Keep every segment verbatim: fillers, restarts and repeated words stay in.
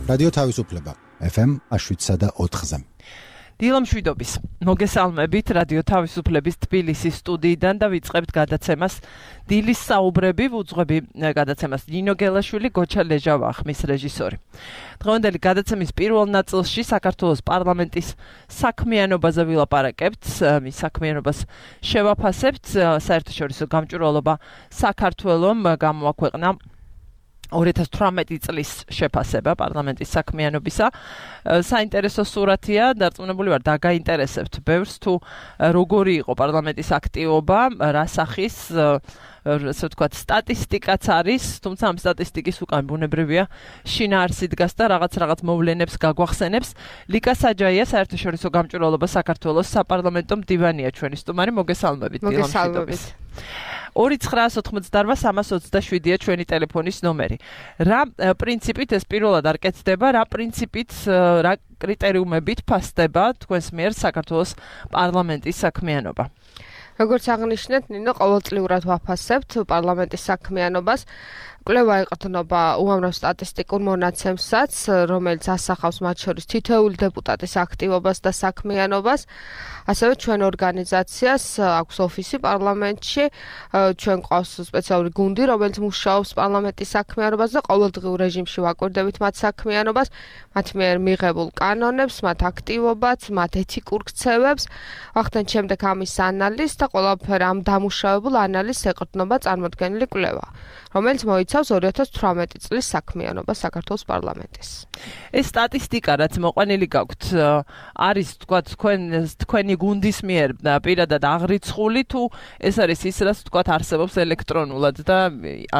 რადიო თავისუფლება ეფ ემ შვიდსა და ოთხზე. დილამშვიდობის. მოგესალმებით რადიო თავისუფლების თბილისის სტუდიიდან და ვიწყებთ გადაცემას დილის საუბრები, ვუძღვები გადაცემას ნინო გელაშვილი, გოჩა ლეჟავა ხმის რეჟისორი. დღევანდელი გადაცემის პირველ ნაწილში საქართველოს პარლამენტის საქმიანობაზე ვილაპარაკებთ, მის საქმიანობას შევაფასებთ, საერთაშორისო გამჭვირვალობა საქართველომ გამოაქვეყნა ორი ათას თვრამეტი წლის შეფასება პარლამენტის საქმიანობისა. საინტერესო სურათია, დარწმუნებული ვარ, დაგაინტერესებთ ბევრს თუ როგორი იყო პარლამენტის აქტივობა, რა სახის ასე ვთქვათ, სტატისტიკაც არის, თუმცა ამ სტატისტიკის უკან ბუნებრივია შინაარსი დგას და რაღაც რაღაც მოვლენებს გაგვახსენებს. ლიკა საჯაია, საერთაშორისო გამჭვირვალობა საქართველოს საპარლამენტო მდივანია ჩვენი სტუმარი, მოგესალმებით. მოგესალმებით. ორი ცხრაას ოცდაოთხმოცდაარბა სამას ოცდაშვიდია ჩვენი ტელეფონის ნომერი. რა პრინციპით ეს პირველად არ კეთდება, რა პრინციპით, რა კრიტერიუმებით ფასდება თქვენს მიერ საქართველოს პარლამენტის საქმიანობა? როგორც აღნიშნეთ, ნინო, ყოველწლიურად ვაფასებთ პარლამენტის საქმიანობას. კვლევა ეყრდნობა უამრავ სტატისტიკურ მონაცემსაც, რომელიც ასახავს მათ შორის თითოეული დეპუტატის აქტივობას და საქმიანობას. ასევე ჩვენ ორგანიზაციას აქვს ოფისი პარლამენტში, ჩვენ ყავს სპეციალური გუნდი, რომელიც მუშაობს პარლამენტის საქმიანობას და ყოველდღიურ რეჟიმში ვაკვირდებით მათ საქმიანობას, მათ მიერ მიღებულ კანონებს, მათ აქტივობებს, მათ ეთიკურ ქცევებს. ვახდენთ შემდეგ ამის ანალიზს და ყველაფერ ამ დამუშავებულ ანალიზს ეყრდნობა წარმოდგენილი კვლევა, რომელიც მოიცავს ორი ათას თვრამეტი წლის საქმიანობას საქართველოს პარლამენტის. ეს სტატისტიკა, რაც მოყვანილი გაქვთ, არის თქვა თქვენ თქვენი გუნდის მიერ პირადად აღრიცხული თუ ეს არის ის, რაც თქვა არსებობს ელექტრონულად და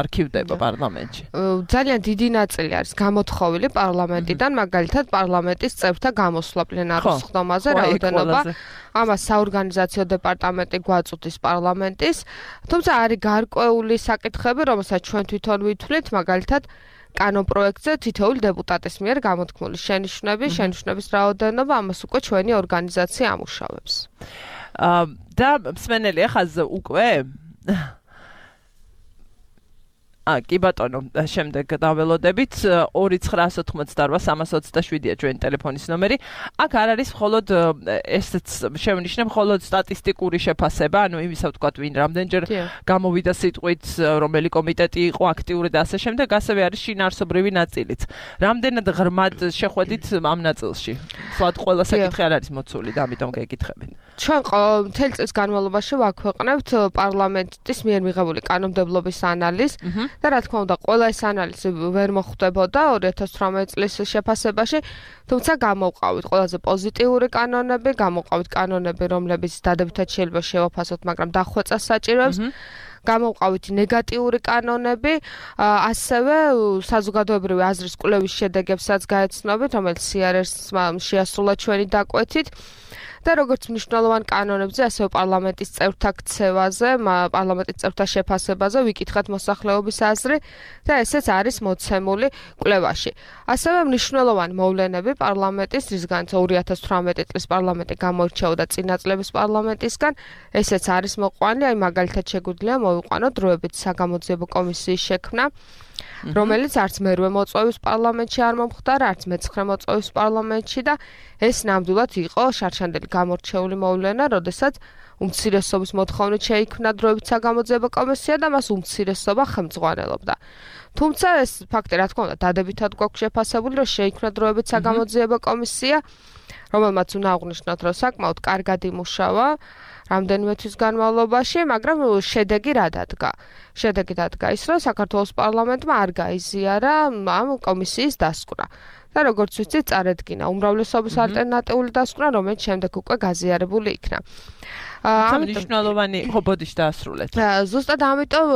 არქივდება პარლამენტში? ძალიან დიდი ნაწილი არის გამოთხოვილი პარლამენტიდან, მაგალითად პარლამენტის წევრთა გამოსვლა პლენარულ სხდომაზე, რაოდენობა. ამას საორგანიზაციო დეპარტამენტი გვაწვდის პარლამენტის, თუმცა არის გარკვეული საკითხები, რომელსაც ჩვენ თვითონ ვითვლით, მაგალითად კანონპროექტზე თითოეული დეპუტატის მიერ გამოთქმული შენიშვნები, შენიშვნების რაოდენობა, ამას უკვე ჩვენი ორგანიზაცია ამუშავებს. და მსმენელი ახალ უკვე ა კი ბატონო, შემდეგ დაველოდებით ორი ცხრაას ოცდაოთხმოცდაარბა სამას ოცდაშვიდია ჩვენი ტელეფონის ნომერი. აქ არ არის მხოლოდ ესეც შევნიშნე, მხოლოდ სტატისტიკური შეფასება, ანუ იმისა ვთქვათ, ვინ რამდენჯერ გამოვიდა სიტყვით, რომელი კომიტეტი იყო აქტიური და ასე შემდეგ, ასევე არის შინაარსობრივი ნაწილიც. რამდენად ღრმად შეხვედით ამ ნაწილში? სულად ყველა საკითხი არ არის მოცული და ამიტომ გეკითხებით. ჩვენ მთელი წლის განმავლობაში ვაქვეყნებთ პარლამენტის მიერ მიღებული კანონმდებლობის ანალიზს. და რა თქმა უნდა, ყველა ეს ანალიზი ვერ მოხვდებოდა ორი ათას თვრამეტი წლის შეფასებაში, თუმცა გამოვყავით ყველაზე პოზიტიური კანონები, გამოვყავით კანონები, რომლებიც დადებითად შეიძლება შევაფასოთ, მაგრამ დახვეწას საჭიროებს. გამოვყავით ნეგატიური კანონები, ასევე საზოგადოებრივი აზრის კვლევის შედეგებსაც გაეცნობით, რომელიც სი არ ეს-მა შეასრულა ჩვენი დაკვეთით. და როგორც მნიშვნელოვან კანონებზე, ასევე პარლამენტის წევრთა ქცევაზე, პარლამენტის წევრთა შეფასებაზე ვიკითხეთ მოსახლეობის აზრი და ესეც არის მოცემული კვლევაში. ასევე მნიშვნელოვანი მოვლენები პარლამენტის, რისგანაც ორი ათას თვრამეტი წლის პარლამენტი გამოირჩეოდა წინა წლების პარლამენტისგან, ესეც არის მოყვანილი, აი მაგალითად შეგვიძლია მოვიყვანოთ დროებით საგამოძიებო კომისიის შექმნა, რომელიც არც მერვე მოწვევის პარლამენტში არ მომხდარა, არც მეცხრე მოწვევის პარლამენტში და ეს ნამდვილად იყო შარშანდელი გამორჩეული მოვლენა, როდესაც უმცირესობის მოთხოვნით შეიქმნა დროებით საგამოძიებო კომისია და მას უმცირესობა ხელმძღვანელობდა. თუმცა ეს ფაქტი, რა თქმა უნდა, დადებითად გვაქვს შეფასებული, რომ შეიქმნა დროებით საგამოძიებო კომისია, რომელმაც უნდა აღვნიშნოთ, რომ საკმაოდ კარგად იმუშავა რამდენიმე თვის განმავლობაში, მაგრამ შედეგი რა დადგა? შედეგი დადგა ის, რომ საქართველოს პარლამენტმა არ გაიზიარა ამ კომისიის დასკვნა. და როგორც ვიცით, წარედგინა უმრავლესობის ალტერნატიული დასკვნა, რომელიც შემდეგ უკვე გაზიარებული იქნა. მნიშვნელოვანი ხობოდიშ დაასრულეთ. ზუსტად ამიტომ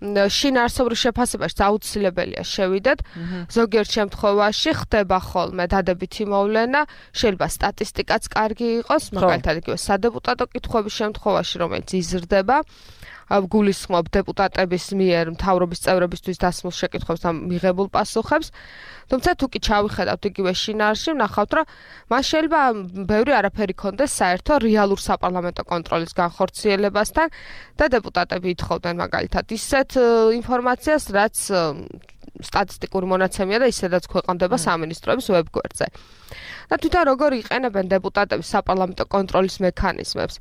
შინაარსობრივ შეფასებაში აუცილებელია შევიდეთ. ზოგიერთ შემთხვევაში ხდება ხოლმე დადებითი მოვლენა, შეიძლება სტატისტიკაც კარგი იყოს, მაგალითად იგივე სადეპუტატო კითხვების შემთხვევაში, რომელიც იზრდება. გულისხმობ დეპუტატების მიერ მთავრობის წევრებისთვის დასმულ შეკითხვებს და მიღებულ პასუხებს. თუმცა თუ კი ჩავიხედავთ იგივე შინაარსში, ვნახავთ, რომ მას შეიძლება ბევრი არაფერი ქონდეს საერთო რეალურ საპარლამენტო კონტროლის განხორციელებასთან და დეპუტატები ითხოვდნენ მაგალითად ისეთ ინფორმაციას, რაც სტატისტიკური მონაცემია და ისედაც ქვეყნდება სამინისტროების ვებგვერდზე. და თვითონ როგორ იყენებენ დეპუტატები საპარლამენტო კონტროლის მექანიზმებს?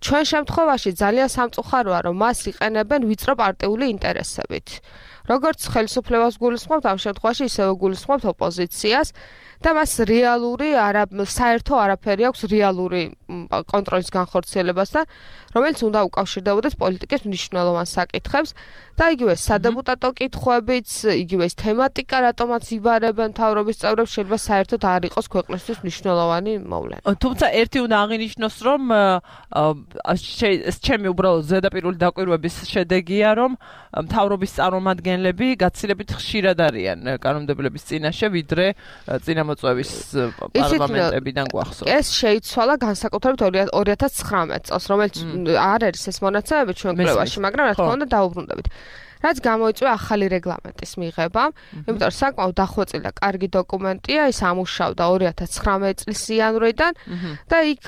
ჩვენ შემთხვევაში ძალიან სამწუხაროა, რომ მას იყენებენ ვიწრო პარტიული ინტერესებით. როგორც ხელისუფლებას გულისხმობთ, ამ შემთხვევაში ისევე გულისხმობთ ოპოზიციას და მას რეალური არა საერთო არაფერი აქვს რეალური კონტროლის განხორციელებასთან, რომელიც უნდა უკავშირდებოდეს პოლიტიკის მნიშვნელოვან საკითხებს და იგივე სადეპუტატო კითხვებიც, იგივე ეს თემატიკა, რატომაც იბარებენ მთავრობის წევრებს, შეიძლება საერთოდ არ იყოს ქვეყნისთვის მნიშვნელოვანი მოვლენა. თუმცა ერთი უნდა აღინიშნოს, რომ ეს ჩემი უბრალოდ ზედაპირული დაკვირვების შედეგია, რომ მთავრობის წარმომადგენლები გაცილებით ხშირად არიან კანონმდებლობის წინაშე, ვიდრე წინამოწვევის პარლამენტებიდან გვახსოვს. ეს შეიცვალა განსაკუთრებით ორი ათას ცხრამეტ წელს, რომელიც არ არის ეს მონაცემები ჩვენ კვლევაში, მაგრამ რა თქმა უნდა დაუბრუნდებით. რაც გამოიწვია ახალი რეგლამენტის მიღება, იმიტომ რომ საკმაოდ დახვეწილი და კარგი დოკუმენტია, ის ამუშავდა ორი ათას ცხრამეტ წლის იანვრიდან და იქ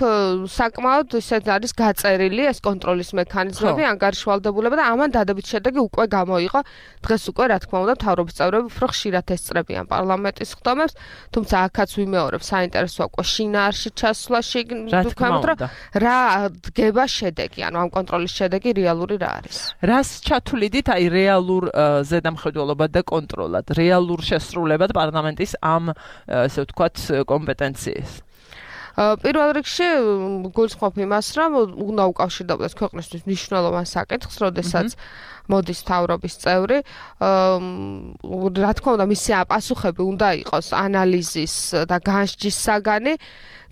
საკმაოდ ისეთ არის გაწერილი ეს კონტროლის მექანიზმები, ანგარიშვალდებულება და ამან დადებით შედეგი უკვე გამოიყო. დღეს უკვე რა თქმა უნდა მთავრობის წევრები უფრო ხშირად ესწრებიან პარლამენტის ხდომებს, თუმცა აქაც ვიმეორებ საინტერესოა უკვე შინაარსში ჩასვლაში ვთქვამთ, რომ რა დგება შედეგი, ანუ ამ კონტროლის შედეგი რეალური რა არის. რას ჩათვლიდით აი რეალურ ზედამხედველობად და კონტროლად, რეალურ შესრულებად პარლამენტის ამ ესე ვთქვათ კომპეტენციას. პირველ რიგში გულისხმობ იმას, რომ უნდა უკავშირდებოდეს ქვეყნისთვის მნიშვნელოვან საკითხს, როდესაც მოდის მთავრობის წევრი, რა თქმა უნდა, მისი პასუხები უნდა იყოს ანალიზის და განსჯის საგანი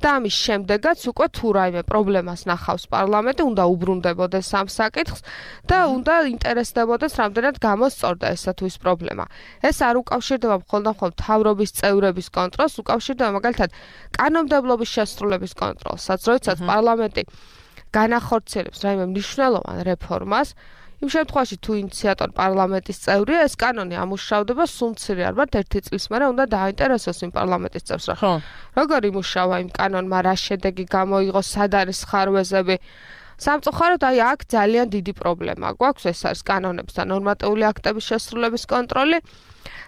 და ამის შემდეგაც უკვე თუ რაიმე პრობლემას ნახავს პარლამენტი, უნდა უბრუნდებოდეს ამ საკითხს და უნდა ინტერესდებოდეს, რამდენად გამოსწორდა ესა თუ ის პრობლემა. ეს არ უკავშირდება მხოლოდ და მხოლოდ მთავრობის წევრების კონტროლს, უკავშირდება მაგალითად კანონმდებლობის შესრულების კონტროლსაც, როდესაც პარლამენტი განახორციელებს რაიმე მნიშვნელოვან რეფორმას, იმ შემთხვევაში თუ ინიციატორ პარლამენტის წევრია, ეს კანონი ამუშავდება სულ მცირე არ ვართ ერთი წლის მერე უნდა დააინტერესოს იმ პარლამენტის წევრს, რა. როგორ იმუშავა იმ კანონმა, რა შედეგი გამოიღო, სად არის ხარვეზები. სამწუხაროდ აი აქ ძალიან დიდი პრობლემა გვაქვს, ეს არის კანონების და ნორმატიული აქტების შესრულების კონტროლი.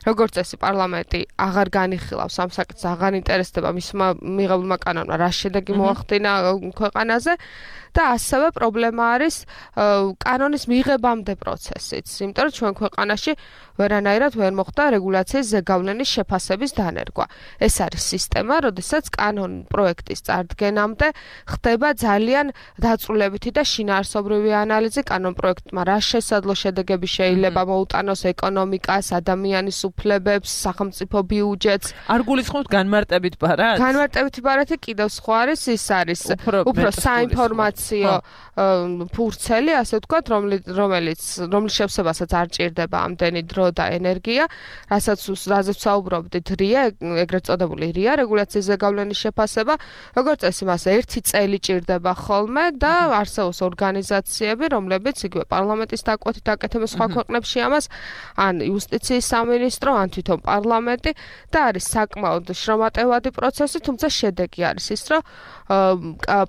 როგორც წესი პარლამენტი აღარ განიხილავს ამ საკითხს, აღარ ინტერესდება მისმა მიღებულმა კანონმა რა შედეგი მოახდინა ქვეყანაზე და ასევე პრობლემა არის კანონის მიღებამდე პროცესიც, იმიტომ რომ ჩვენ ქვეყანაში ვერანაირად ვერ მოხდა რეგულაციის ზეგავლენის შეფასების დანერგვა. ეს არის სისტემა, როდესაც კანონ პროექტის წარდგენამდე ხდება ძალიან დაწვრილებითი და შინაარსობრივი ანალიზი კანონ პროექტმა რა შესაძლო შედეგები შეიძლება მოუტანოს ეკონომიკას, ადამიანის უფლებებს, სახელმწიფო ბიუჯეტს. არ გულისხმობთ განმარტებით ბარათს? განმარტებითი ბარათი კიდევ სხვა არის, ის არის უფრო საინფორმაციო ფურცელი, ასე ვთქვათ, რომელიც რომლის შევსებასაც არ ჭირდება ამდენი დრო და ენერგია, რასაც რაზეც საუბრობდით, რია, ეგრეთ წოდებული რია, რეგულაციის ზეგავლენის შეფასება, როგორც წესი მას ერთი წელი ჭირდება ხოლმე და არსებობს ორგანიზაციები, რომლებიც იგივე პარლამენტის დაკვეთით აკეთებენ სხვა ქვეყნებში ამას, ან იუსტიციის სამინისტრო, ან თვითონ პარლამენტი და არის საკმაოდ შრომატევადი პროცესი, თუმცა შედეგი არის ის, რომ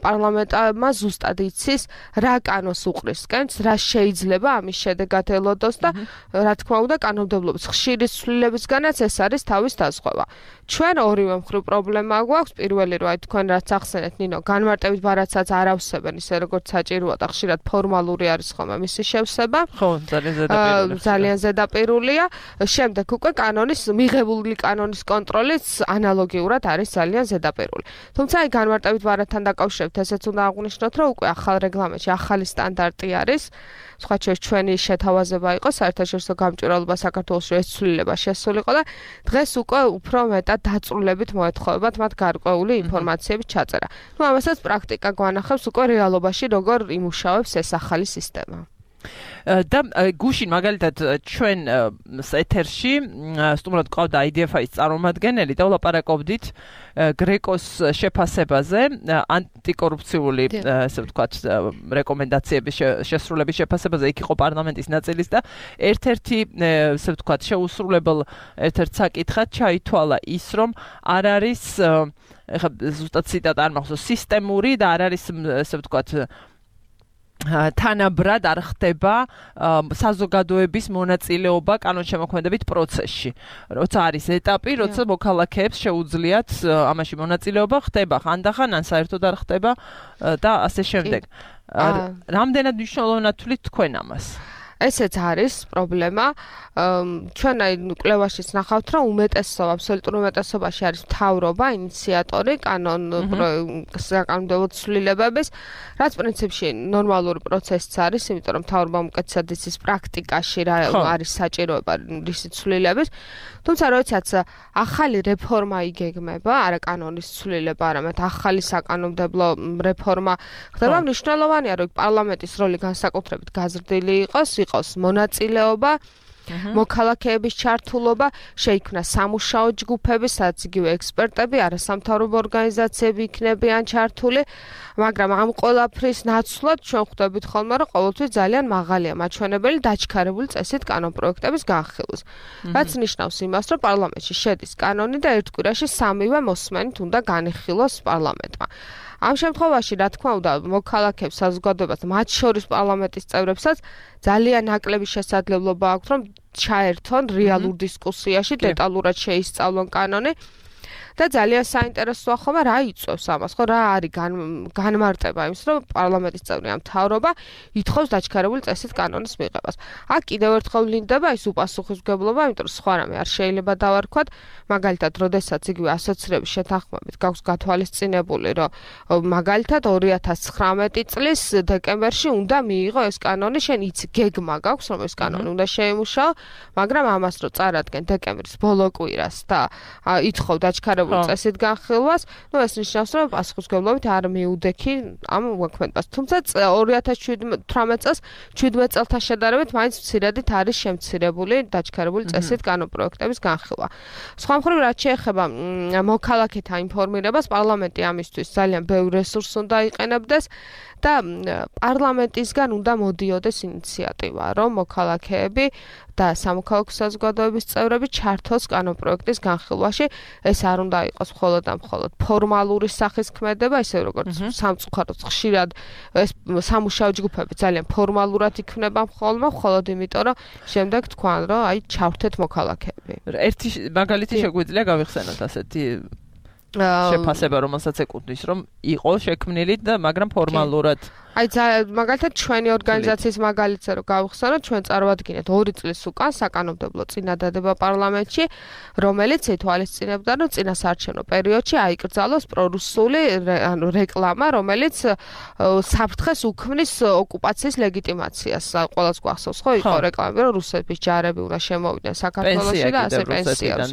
პარლამენტმა ზუსტად იცის, რა კანონს უყრისკენს, რა შეიძლება ამის შედეგად ელოდოს და რა თქმა უნდა კანონმდებლობის ხშირი ცვლილებისგანაც ეს არის თავის დაზღვევა. ჩვენ ორივე მხრივ პრობლემა გვაქვს, პირველი რომ აი თქვენ რაც ახსენეთ, ნინო, განმარტებით ბარათსაც არ ავსებენ ისე როგორც საჭიროა და ხშირად ფორმალური არის ხოლმე მისი შევსება. ხო, ძალიან ზედაპირულია. ძალიან ზედაპირულია. შემდეგ უკვე კანონის მიღებული კანონის კონტროლიც ანალოგიურად არის ძალიან ზედაპირული. თუმცა აი განმარტებით ბარათთან დაკავშირებით ესეც უნდა აღვნიშნოთ, რომ უკვე ახალ რეგლამენტში ახალი სტანდარტი არის. სხვა შორის ჩვენი შეთავაზება იყო საერთაშორისო გამჭვირვალობა საქართველოს ეს ცვლილება შესულიყო და დღეს უკვე უფრო მეტად დაწვრილებით მოეთხოვებათ მათ გარკვეული ინფორმაციების ჩაწერა. ნუ ამასაც პრაქტიკა გვანახავს უკვე რეალობაში როგორ იმუშავებს ეს ახალი სისტემა. და გუშინ მაგალითად ჩვენ ეთერში სტუმრად ყავდა აი დი ეფ აის წარმომადგენელი და ვლაპარაკობდით გრეკოს შეფასებაზე, ანტიკორუფციული ესე ვთქვათ რეკომენდაციების შესრულების შეფასებაზე, იქ იყო პარლამენტის ნაწილის და ერთ-ერთი ესე ვთქვათ შეუსრულებელ ერთ-ერთ საკითხად ჩაითვალა ის, რომ არ არის ეხლა ზუსტად ციტატა არ მახსოვს, სისტემური და არ არის ესე ვთქვათ თანაბრად არ ხდება საზოგადოების მონაწილეობა კანონშემოქმედებით პროცესში. როცა არის ეტაპი, როცა მოქალაქეებს შეუძლიათ ამაში მონაწილეობა ხდება, ხანდახან ან საერთოდ არ ხდება და ასე შემდეგ. რამდენად მნიშვნელოვნად თვლით თქვენ ამას? ესეც არის პრობლემა. ჩვენ აი კვლევაშიც ნახავთ, რომ უმეტესობა, აბსოლუტურ უმეტესობაში არის მთავრობა, ინიციატორი კანონ საკანონმდებლო ცვლილებების, რაც პრინციპში ნორმალური პროცესიც არის, იმიტომ რომ მთავრობა უკეთესად იცის პრაქტიკაში რა არის საჭიროება რისი ცვლილების. თუმცა როდესაც ახალი რეფორმა იგეგმება, არა კანონის ცვლილება, არამედ ახალი საკანონმდებლო რეფორმა ხდება, მნიშვნელოვანია, რომ პარლამენტის როლი განსაკუთრებით გაზრდილი იყოს, იყოს მონაწილეობა, მოქალაქეების ჩართულობა, შეიქმნა სამუშაო ჯგუფები, სადაც იგივე ექსპერტები, არასამთავრობო ორგანიზაციები იქნებიან ჩართული, მაგრამ ამ ყველაფრის ნაცვლად ჩვენ ხვდებით ხოლმე, რომ ყოველთვის ძალიან მაღალია მაჩვენებელი დაჩქარებული წესით კანონპროექტების განხილვის. რაც ნიშნავს იმას, რომ პარლამენტში შედის კანონი და ერთ კვირაში სამივე მოსმენით უნდა განიხილოს პარლამენტმა. ამ შემთხვევაში, რა თქმა უნდა, მოქალაქეებს საზოგადოებას, მათ შორის პარლამენტის წევრებსაც ძალიან ნაკლები შესაძლებლობა აქვთ, რომ ჩაერთონ რეალურ დისკუსიაში, დეტალურად შეისწავლონ კანონი. და ძალიან საინტერესოა ხომ რა იწვევს ამას, ხო რა არის განმარტება იმის, რომ პარლამენტის წევრი ამ მთავრობა ითხოვს დაჩქარებული წესით კანონის მიღებას. აქ კიდევ ერთხელ ვლინდება ის უპასუხისმგებლობა, იმიტომ რომ სხვა რამე არ შეიძლება დავარქვათ, მაგალითად, როდესაც იგივე ასოცირების შეთანხმებით გაქვს გათვალისწინებული, რომ მაგალითად ორი ათას ცხრამეტი წლის დეკემბერში უნდა მიიღო ეს კანონი, შენ იცი გეგმა გაქვს, რომ ეს კანონი უნდა შეიმუშაო, მაგრამ ამას რო წარადგენ დეკემბრის ბოლო კვირას და ითხოვ დაჩქარებული წესით განხილვას, ну ეს ნიშნავს, რომ პასუხისმგებლობით არ მიუდექი ამ მოქმედებას. თუმცა ორი ათას თვრამეტ წელს შვიდმეტ წელთან შედარებით მაინც მცირედით არის შემცირებული დაჩქარებული წესით კანონპროექტების განხილვა. სხვა მხრივ, რაც შეეხება მოქალაქეთა ინფორმირებას, პარლამენტი ამისთვის ძალიან ბევრ რესურსს უნდა იყენებდეს და პარლამენტისგან უნდა მოდიოდეს ინიციატივა, რომ მოქალაქეები და სამოქალაქო საზოგადოების წევრები ჩართოს კანონპროექტის განხილვაში. ეს არ უნდა იყოს მხოლოდ და მხოლოდ ფორმალური სახის ქმედება, ისე როგორც სამწუხაროდ ხშირად ეს სამუშაო ჯგუფები ძალიან ფორმალურად იქმნება მხოლოდ, მხოლოდ იმიტომ, რომ შემდეგ თქვან, რომ აი ჩავრთეთ მოქალაქეები. ერთი მაგალითი შეგვიძლია გავიხსენოთ ასეთი შეფასება, რომელსაც ეკუთვნის, რომ იყო შექმნილი და მაგრამ ფორმალურად აი მაგალითად ჩვენი ორგანიზაციის მაგალითზე რომ გავიხსენოთ, ჩვენ წარვადგინეთ ორი წლის უკან საკანონმდებლო წინადადება პარლამენტში, რომელიც ითვალისწინებდა, რომ წინასაარჩევნო პერიოდში აიკრძალოს პრორუსული ანუ რეკლამა, რომელიც საფრთხეს უქმნის ოკუპაციის ლეგიტიმაციას. ყველას გვახსოვს, ხო, იყო რეკლამები, რომ რუსების ჯარები უნდა შემოვიდნენ საქართველოში და ასე პენსიას.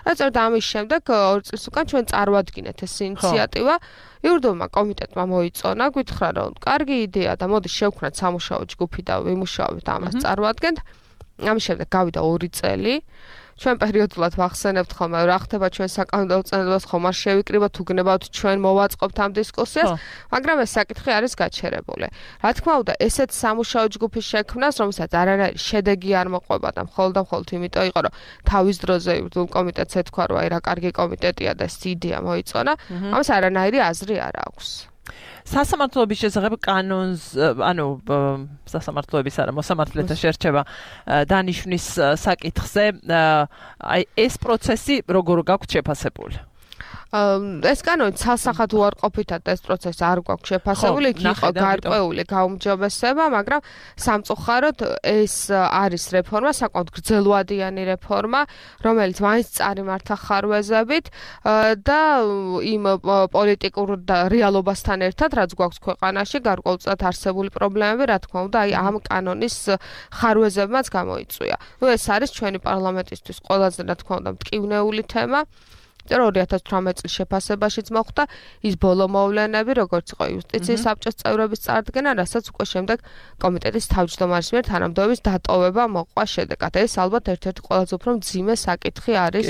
რაც ამის შემდეგ ორი წლის უკან ჩვენ წარვადგინეთ ეს ინიციატივა. იურიდიულმა კომიტეტმა მოიწონა, გითხრა, რომ კარგი იდეა და მოდი შევქმნათ სამუშაო ჯგუფი და ვიმუშაობთ ამას წარვადგენთ. ამის შემდეგ გავიდა ორი წელი. ჩვენ პერიოდულად ვახსენებთ ხოლმე, რა ხდება ჩვენ საკანონმდებლო წინადადებას ხომ არ შევიკრიბოთ, უგნებავთ ჩვენ მოვაწყობთ ამ დისკუსიას, მაგრამ ეს საკითხი არის გაჩერებული. რა თქმა უნდა, ესეთ სამუშაო ჯგუფის შექმნას, რომელსაც არანაირი შედეგი არ მოყვება და მხოლოდ და მხოლოდ იმიტომ იყო, რომ თავის დროზე იურიდიულ კომიტეტს ეთქვა, რომ აი რა კარგი კომიტეტია და ეს იდეა მოიწონა, ამას არანაირი აზრი არ აქვს. სასამართლოების შესახებ კანონს, ანუ სასამართლოების არა, მოსამართლეთა შერჩევა დანიშვნის საკითხზე, აი ეს პროცესი როგორ გაქვთ შეფასებული? ეს კანონი ცალსახად უარყოფითად ეს პროცესი არ გვაქვს შეფასებული, იქ იყო გარკვეული გაუმჯობესება, მაგრამ სამწუხაროდ ეს არის რეფორმა, საკმაოდ გრძელვადიანი რეფორმა, რომელიც მაინც წარიმართა ხარვეზებით და იმ პოლიტიკურ რეალობასთან ერთად, რაც გვაქვს ქვეყანაში, გარკვეულწილად არსებული პრობლემები, რა თქმა უნდა, აი ამ კანონის ხარვეზებმაც გამოიწვია. ნუ ეს არის ჩვენი პარლამენტისთვის ყველაზე, რა თქმა უნდა, მტკივნეული თემა. ორი ათას თვრამეტ წლის შეფასებაშიც მოხდა ის ბოლო მოვლენები, როგორც იყო იუსტიციის საბჭოს წევრების წარდგენა, რასაც უკვე შემდეგ კომიტეტის თავმჯდომარის მიერ თანამდებობის დატოვება მოყვა შედეგად. ეს ალბათ ერთ-ერთი ყველაზე უფრო მძიმე საკითხი არის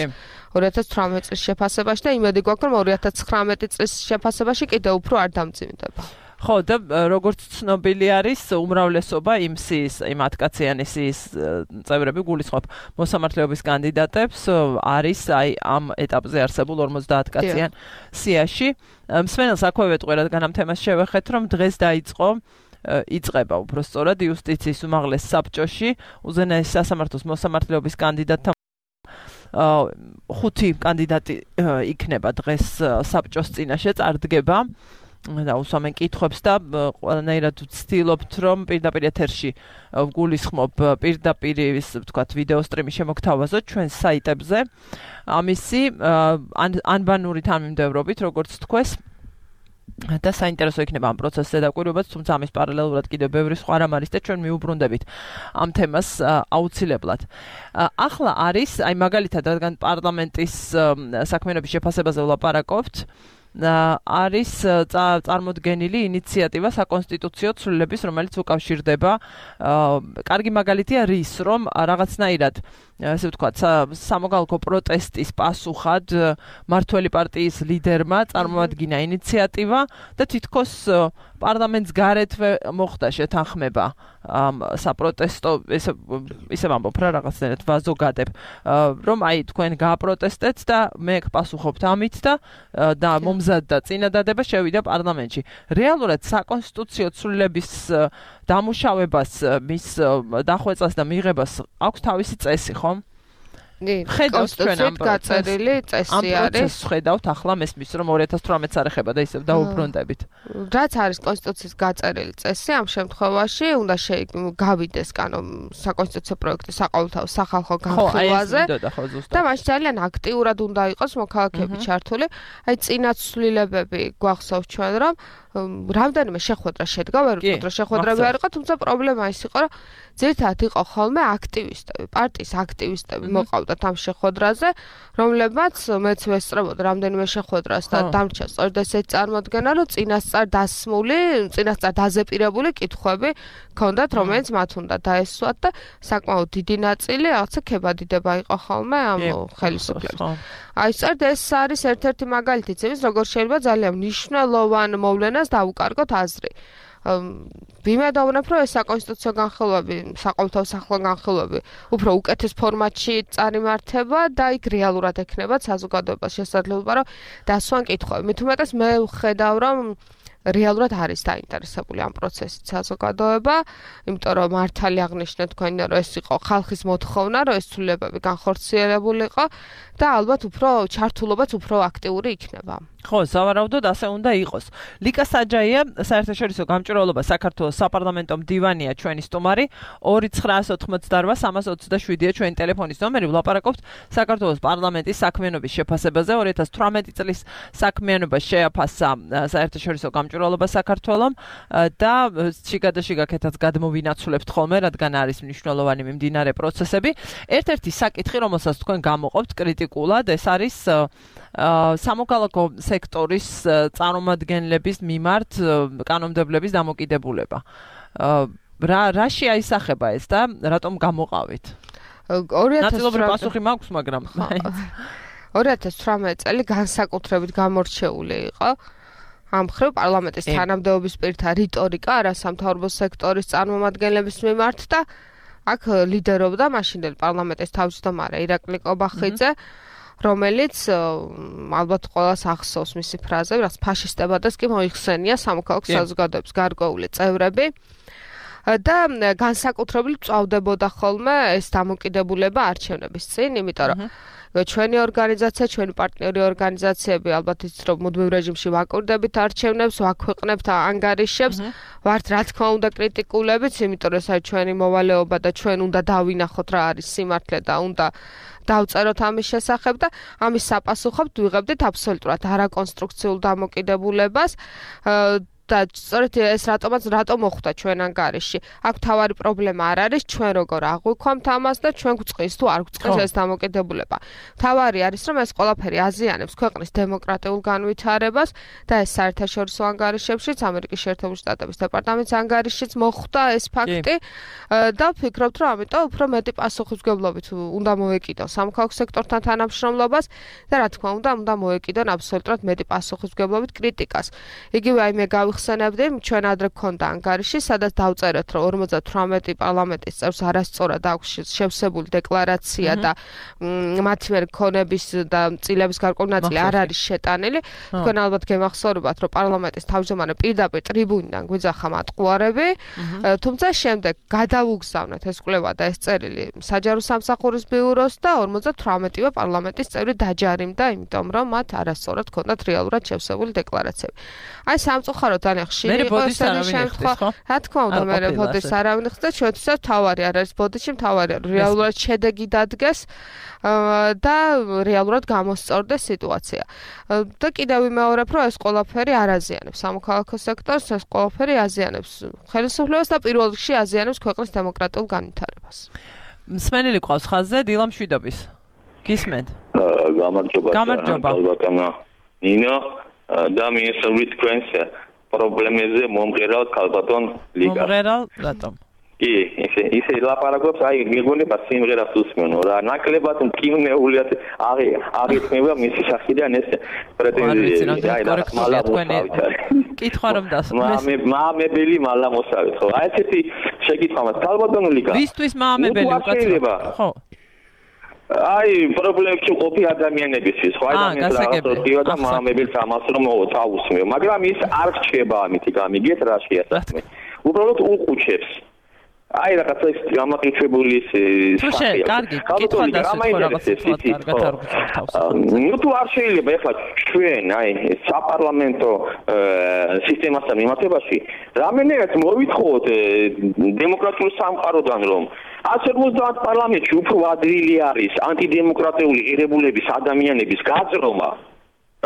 ორი ათას თვრამეტ წლის შეფასებაში და იმედი გვაქვს, რომ ორი ათას ცხრამეტი წლის შეფასებაში კიდევ უფრო არ დამძიმდება. ხო, და როგორც ცნობილი არის, უმრავლესობა იმ სიის, იმ ათკაციანი სიის წევრები გულისხმობ მოსამართლეობის კანდიდატებს არის აი ამ ეტაპზე არსებულ ორმოცდაათ კაციან სიაში. მსმენელს აქვე ვეტყვი, რადგან ამ თემას შევეხეთ, რომ დღეს დაიწყო იწყება უბრალოდ იუსტიციის უმაღლეს საბჭოში უზენაესი სასამართლოს მოსამართლეობის კანდიდატთა ხუთი კანდიდატი იქნება დღეს საბჭოს წინაშე წარდგება და უსვამენ კითხვებს და ყველანაირად ვცდილობთ რომ პირდაპირ ეთერში ვგულისხმობ პირდაპირ ის ვთქვათ ვიდეო სტრიმის შემოგთავაზოთ ჩვენ საიტებზე ამისი ანბანური თანმიმდევრობით როგორც თქვეს და საინტერესო იქნება ამ პროცესზე დაკვირვებაც, თუმცა ამის პარალელურად კიდევ ბევრი სხვა რამ არის და ჩვენ მიუბრუნდებით ამ თემას აუცილებლად. ახლა არის, აი მაგალითად, რადგან პარლამენტის საქმიანობის შეფასებაზე ვლაპარაკობთ, არის წარმოდგენილი ინიციატივა საკონსტიტუციო ცვლილების, რომელიც უკავშირდება კარგი მაგალითია რის, რომ რაღაცნაირად ასე ვთქვათ, სამოქალაქო პროტესტის პასუხად მართველი პარტიის ლიდერმა წარმოადგინა ინიციატივა და თითქოს პარლამენტს გარეთვე მოხდა შეთანხმება ამ საპროტესტო ესე ისე ვამბობ რა რაღაცნაირად ვაზოგადებ რომ აი თქვენ გააპროტესტეთ და მე გპასუხობთ ამით და და მომზადდა წინადადება შევიდა პარლამენტში. რეალურად საკონსტიტუციო ცვლილების დამუშავებას მის დახვეწას და მიღებას აქვს თავისი წესი, ხო? კონსტიტუციით გაწერილი წესი არის. ამ პროცესს ხედავთ ახლა მესმის რომ ორი ათას თვრამეტს არ ეხება და ისევ დაუბრუნდებით. რაც არის კონსტიტუციის გაწერილი წესი, ამ შემთხვევაში უნდა გავიდეს კანო საკონსტიტუციო პროექტი საყოველთაო სახალხო განხილვაზე და მაშინ ძალიან აქტიურად უნდა იყოს მოქალაქეები ჩართული. აი წინაცვლილებები გვახსოვს ჩვენ რომ რამდენიმე შეხვედრა შედგა, ვერ ვთქვით რომ შეხვედრები არ იყო, თუმცა პრობლემა ის იყო, რომ ძირითადად იყო ხოლმე აქტივისტები, პარტიის აქტივისტები მოყავდათ ამ შეხვედრაზე, რომლებმაც მეც ვესწრებოდი რამდენიმე შეხვედრას და დამრჩა სწორედ ესეთი წარმოდგენა, რომ წინასწარ დასმული, წინასწარ დაზეპირებული კითხვები ჰქონდათ, რომელიც მათ უნდა დაესვათ და საკმაოდ დიდი ნაწილი რაღაცა ქებადიდება იყო ხოლმე ამ ხელისუფლებას. აი სწორედ ეს არის ერთ-ერთი მაგალითიც იმის, როგორ შეიძლება ძალიან მნიშვნელოვან მოვლენას დავუკარგოთ აზრი. ვიმედოვნებ, რომ ეს საკონსტიტუციო განხილვები, საყოველთაო სახალხო განხილვები უფრო უკეთეს ფორმატში წარიმართება და იქ რეალურად ექნება საზოგადოებას შესაძლებლობა, რომ დასვან კითხვები. მით უმეტეს მე ვხედავ, რომ რეალურად არის დაინტერესებული ამ პროცესით საზოგადოება, იმიტომ რომ მართალი აღნიშნეთ თქვენ, რომ ეს იყო ხალხის მოთხოვნა, რომ ეს ცვლილებები განხორციელებულიყო და ალბათ უფრო ჩართულობაც უფრო აქტიური იქნება. ხო, სავარაუდოდ ასე უნდა იყოს. ლიკა საჯაია, საერთაშორისო გამჭვირვალობა საქართველოს საპარლამენტო მდივანია ჩვენი სტუმარი, ორი ცხრაას ოთხმოცდარვა სამას ოცდაშვიდია ჩვენი ტელეფონის ნომერი, ვლაპარაკობთ საქართველოს პარლამენტის საქმიანობის შეფასებაზე, ორი ათას თვრამეტი წლის საქმიანობა შეაფასა საერთაშორისო გამჭვირვალობა საქართველომ და შიგადაშიგა კეთած გადმოვინაცვლებთ ხოლმე, რადგან არის მნიშვნელოვანი მიმდინარე პროცესები. ერთ-ერთი საკითხი, რომელსაც თქვენ გამოყოფთ კრიტიკულად, ეს არის სამოქალაქო სექტორის წარმომადგენლების მიმართ კანონმდებლების დამოკიდებულება. რა რაში აისახება ეს და რატომ გამოყავით? ნაწილობრივ პასუხი მაქვს, მაგრამ ორი ათას თვრამეტი წელი განსაკუთრებით გამორჩეული იყო. ამ ხრივ პარლამენტის თანამდებობის პირთა რიტორიკა არასამთავრობო სექტორის წარმომადგენლების მიმართ და აქ ლიდერობდა მაშინდელი პარლამენტის თავმჯდომარე ირაკლი კობახიძე, რომელიც ალბათ ყველას ახსოვს მისი ფრაზები, რაც ფაშისტებადეს კი მოიხსენია სამოქალაქო საზოგადოების გარკვეული წევრები და განსაკუთრებით წავდებოდა ხოლმე ეს დამოკიდებულება არჩევნების წინ, იმიტომ რომ ჩვენი ორგანიზაცია, ჩვენი პარტნიორი ორგანიზაციები ალბათ იცით რომ მუდმივ რეჟიმში ვაკურდებით არჩევნებს, ვაქვეყნებთ ანგარიშებს, ვართ რა თქმა უნდა კრიტიკულებიც, იმიტომ რომ ეს არის ჩვენი მოვალეობა და ჩვენ უნდა დავინახოთ რა არის სიმართლე და უნდა დავწეროთ ამის შესახებ და ამის საპასუხოდ ვიღებდით აბსოლუტურად არაკონსტრუქციულ დამოკიდებულებას და სწორედ ეს რატომაც რატომ მოხვდა ჩვენ ანგარიში. აქ თავარი პრობლემა არ არის ჩვენ როგორ აღვიქვამთ ამას და ჩვენ გვწყის თუ არ გვწყის ეს დამოკიდებულება. თავარი არის რომ ეს ყველაფერი აზიანებს ქვეყნის დემოკრატიულ განვითარებას და ეს საერთაშორისო ანგარიშებშიც, ამერიკის შეერთებული შტატების დეპარტამენტის ანგარიშიც მოხვდა ეს ფაქტი და ვფიქრობთ რომ ამიტომ უფრო მეტი პასუხისმგებლობით უნდა მოეკიდონ სამოქალაქო სექტორთან თანამშრომლობას და რა თქმა უნდა უნდა მოეკიდონ აბსოლუტურად მეტი პასუხისმგებლობით კრიტიკას. იგივე აი მე გამხსენებდი, ჩვენ ადრე გქონდა ანგარიში, სადაც დავწერეთ, რომ ორმოცდათვრამეტი პარლამენტის წევრს არასწორად აქვს შევსებული დეკლარაცია და მათი მიერ ქონების და წილების გარკვეული ნაწილი არ არის შეტანილი. თქვენ ალბათ გემახსოვრებათ, რომ პარლამენტის თავმჯდომარე პირდაპირ ტრიბუნიდან გვიძახა მატყუარები, თუმცა შემდეგ გადავუგზავნეთ ეს კვლევა და ეს წერილი საჯარო სამსახურის ბიუროს და ორმოცდათვრამეტივე პარლამენტის წევრი დაჯარიმდა, იმიტომ რომ მათ არასწორად ქონდათ რეალურად შევსებული დეკლარაციები. აი სამწუხაროდ ძალიან ხშირი იყო ესეთი შემთხვევა. რა თქმა უნდა, მე ბოდიშს არავინ ხდა, ჩვენთვისაც თავარი არ არის ბოდიში, თავარია რეალურად შედეგი დადგეს და რეალურად გამოსწორდეს სიტუაცია. და კიდევ ვიმეორებ, რომ ეს ყველაფერი არ აზიანებს სამოქალაქო სექტორს, ეს ყველაფერი აზიანებს ხელისუფლებას და პირველ რიგში აზიანებს ქვეყნის დემოკრატიულ განვითარებას. მსმენელი ყავს ხაზზე დილა მშვიდობის. გისმენთ? გამარჯობა. გამარჯობა. ბატონო ნინო და მინისტრული თქვენს პრობლემებზე მომღერალ ქალბატონ ლიგა. მომღერალ რატომ? კი, ისე ისე ლაპარაკობს, აი მეგონება სიმღერას უსმენო რა, ნაკლებად მკივნეულიათ აღი აღიქმება მისი სახიდან ეს პრეტენზია. აი რა მალა თქვენი კითხვა რომ დასმეს. მამე მამებელი მალა მოსავეთ, ხო? აი ესეთი შეკითხვა მას ქალბატონ ლიგა. ვისთვის მამებელი უკაცრავ? ხო. აი პრობლემებში ყოფი ადამიანებისთვის, ხო ადამიანს რაღაცა და მამებელს ამას რომ თავუსმეო, მაგრამ ის არ რჩება ამით, გამიგეთ რა შეასახმე. უბრალოდ უყუჩებს. აი რაღაცა ის გამაყიჩებული ის სახე. კარგი, კითხვა დასვით ხო რაღაცა კარგად არ გწევთ. ნუ თუ არ შეიძლება ეხლა ჩვენ აი საპარლამენტო სისტემასთან მიმართებაში რამენერად მოვითხოვოთ დემოკრატიულ სამყაროდან რომ ათს ორმოცდაათ პარლამენტში უფრო ადვილი არის ანტიდემოკრატიული ღირებულების ადამიანების გაძრომა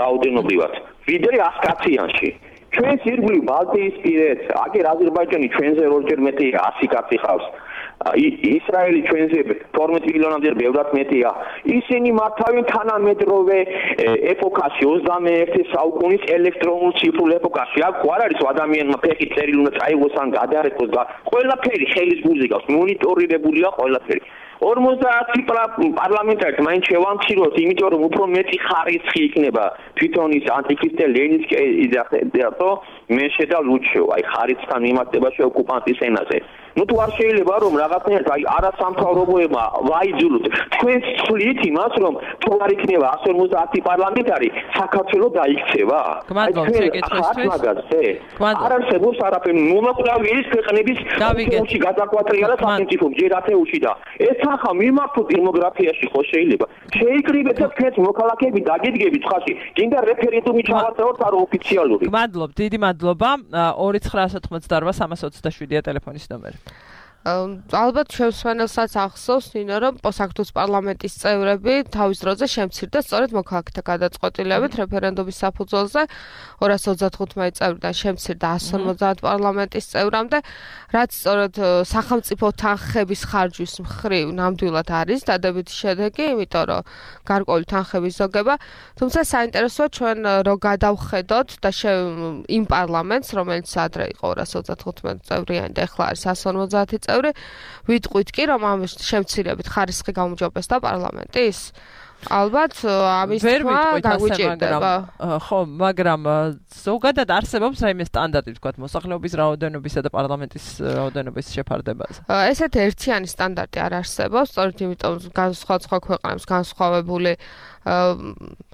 რაოდენობრივად ვიდრე ას კაციანში. ჩვენს ირგვლივ ბალტიისპირეთ, აგერ აზერბაიჯანი ჩვენზე ორჯერ მეტია, ასი კაცი ხავს. ისრაელი ჩვენზე თორმეტ მილიონამდე ბევრად მეტია. ისინი მართავენ თანამედროვე ეპოქაში, ოცდამეერთე საუკუნის ელექტრონულ ციფრულ ეპოქაში. აქ არ არის ადამიანმა ფეხი წერილი უნდა წაიღოს ან გადაარეკოს და ყველაფერი ხელის გულზე გავს, მონიტორირებულია ყველაფერი. ორმოცდაათი პარლამენტარით მაინც შევამციროთ, იმიტომ რომ უფრო მეტი ხარისხი იქნება თვითონ ის ანტიქრისტე ლენინსკი მე შედა ლუჩო, აი ხარისხთან მიმართებაში ოკუპანტის ენაზე. ნუ თუ არ შეიძლება რომ რაღაცნაირად აი არასამთავრობოებმა ვაიძულოთ, თქვენ ცვლით იმას რომ თუ არ იქნება ათს ორმოცდაათი პარლამენტარი, საქართველოს დაიქცევა. არ არსებობს არაფერი, მომაკვდავი ის ქვეყნების ეთეუში გადაკვატრია და სახელმწიფო ჯერ ათეუში და ეს ახლა მიმართოთ დემოგრაფიაში ხო შეიძლება. შეიკრიბეთ და თქვენ მოქალაქეები დაგიდგებით ხაში, გინდა რეფერენდუმი ჩავატაროთ არ ოფიციალური. გმადლობ, დიდი მადლობა. ორი ცხრა ათოთხმოცდაოთხ სამას ოცდაშვიდია ტელეფონის ნომერი. ალბათ შემსვენელსაც ახსოვს ნინო რომ საქართველოს პარლამენტის წევრები თავის დროზე შემცირდა სწორედ მოქალაქეთა გადაწყვეტილებით რეფერენდუმის საფუძველზე ორას ოცდათხუთმეტი წევრიდან შემცირდა ათს ორმოცდაათ პარლამენტის წევრამდე რაც სწორედ სახელმწიფო თანხების ხარჯვის მხრივ ნამდვილად არის დადებითი შედეგი იმიტომ რომ გარკვეული თანხების ზოგება თუმცა საინტერესოა ჩვენ რო გადავხედოთ და იმ პარლამენტს რომელიც ადრე იყო ორას ოცდათხუთმეტი წევრიანი და ახლა არის ათს ორმოცდაათი წევრი ვიტყვით კი რომ ამ შემცირებით ხარისხი გაუმჯობესდა პარლამენტის ალბათ ამის თქმა გაგვიჭირდება ხო მაგრამ ზოგადად არსებობს რაიმე სტანდარტი თქვათ მოსახლეობის რაოდენობისა და პარლამენტის რაოდენობის შეფარდებაზე ესეთ ერთიანი სტანდარტი არ არსებობს სწორედ იმიტომ განსხვავ-სხვა ქვეყნებს განსხვავებული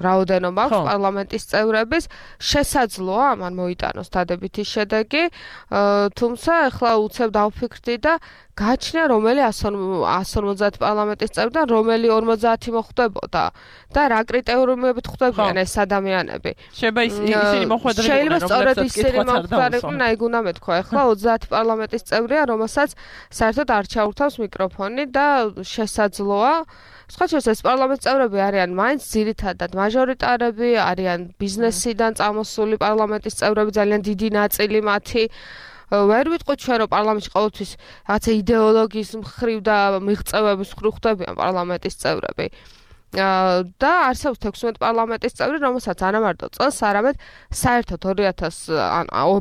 რაოდენობა აქვს პარლამენტის წევრების შესაძლოა ამან მოიტანოს დადებითი შედეგი თუმცა ახლა უცებ დავფიქრდი და გაჩნია რომელი ათს ორმოცდაათი პარლამენტის წევრიდან რომელი ორმოცდაათი მოხვდებოდა და რა კრიტერიუმებით ხვდებიან ეს ადამიანები შეიძლება ისინი მოხვედრილიყვნენ შეიძლება სწორედ ისინი მოხვდარიყვნენ აი გუნა მეთქვა ახლა ოცდაათი პარლამენტის წევრია რომელსაც საერთოდ არ ჩაურთავს მიკროფონი და შესაძლოა სხვა შორის ეს პარლამენტის წევრები არიან მაინც ძირითადად მაჟორიტარები, არიან ბიზნესიდან წამოსული პარლამენტის წევრები, ძალიან დიდი ნაწილი მათი. ვერ ვიტყვით ჩვენ რომ პარლამენტში ყოველთვის რაღაცა იდეოლოგიის მხრივ და მიღწევების მხრივ ხვდებიან პარლამენტის წევრები. და არსებობს თექვსმეტი პარლამენტის წევრი, რომელსაც არამარტო წელს, არამედ საერთოდ ორი ათას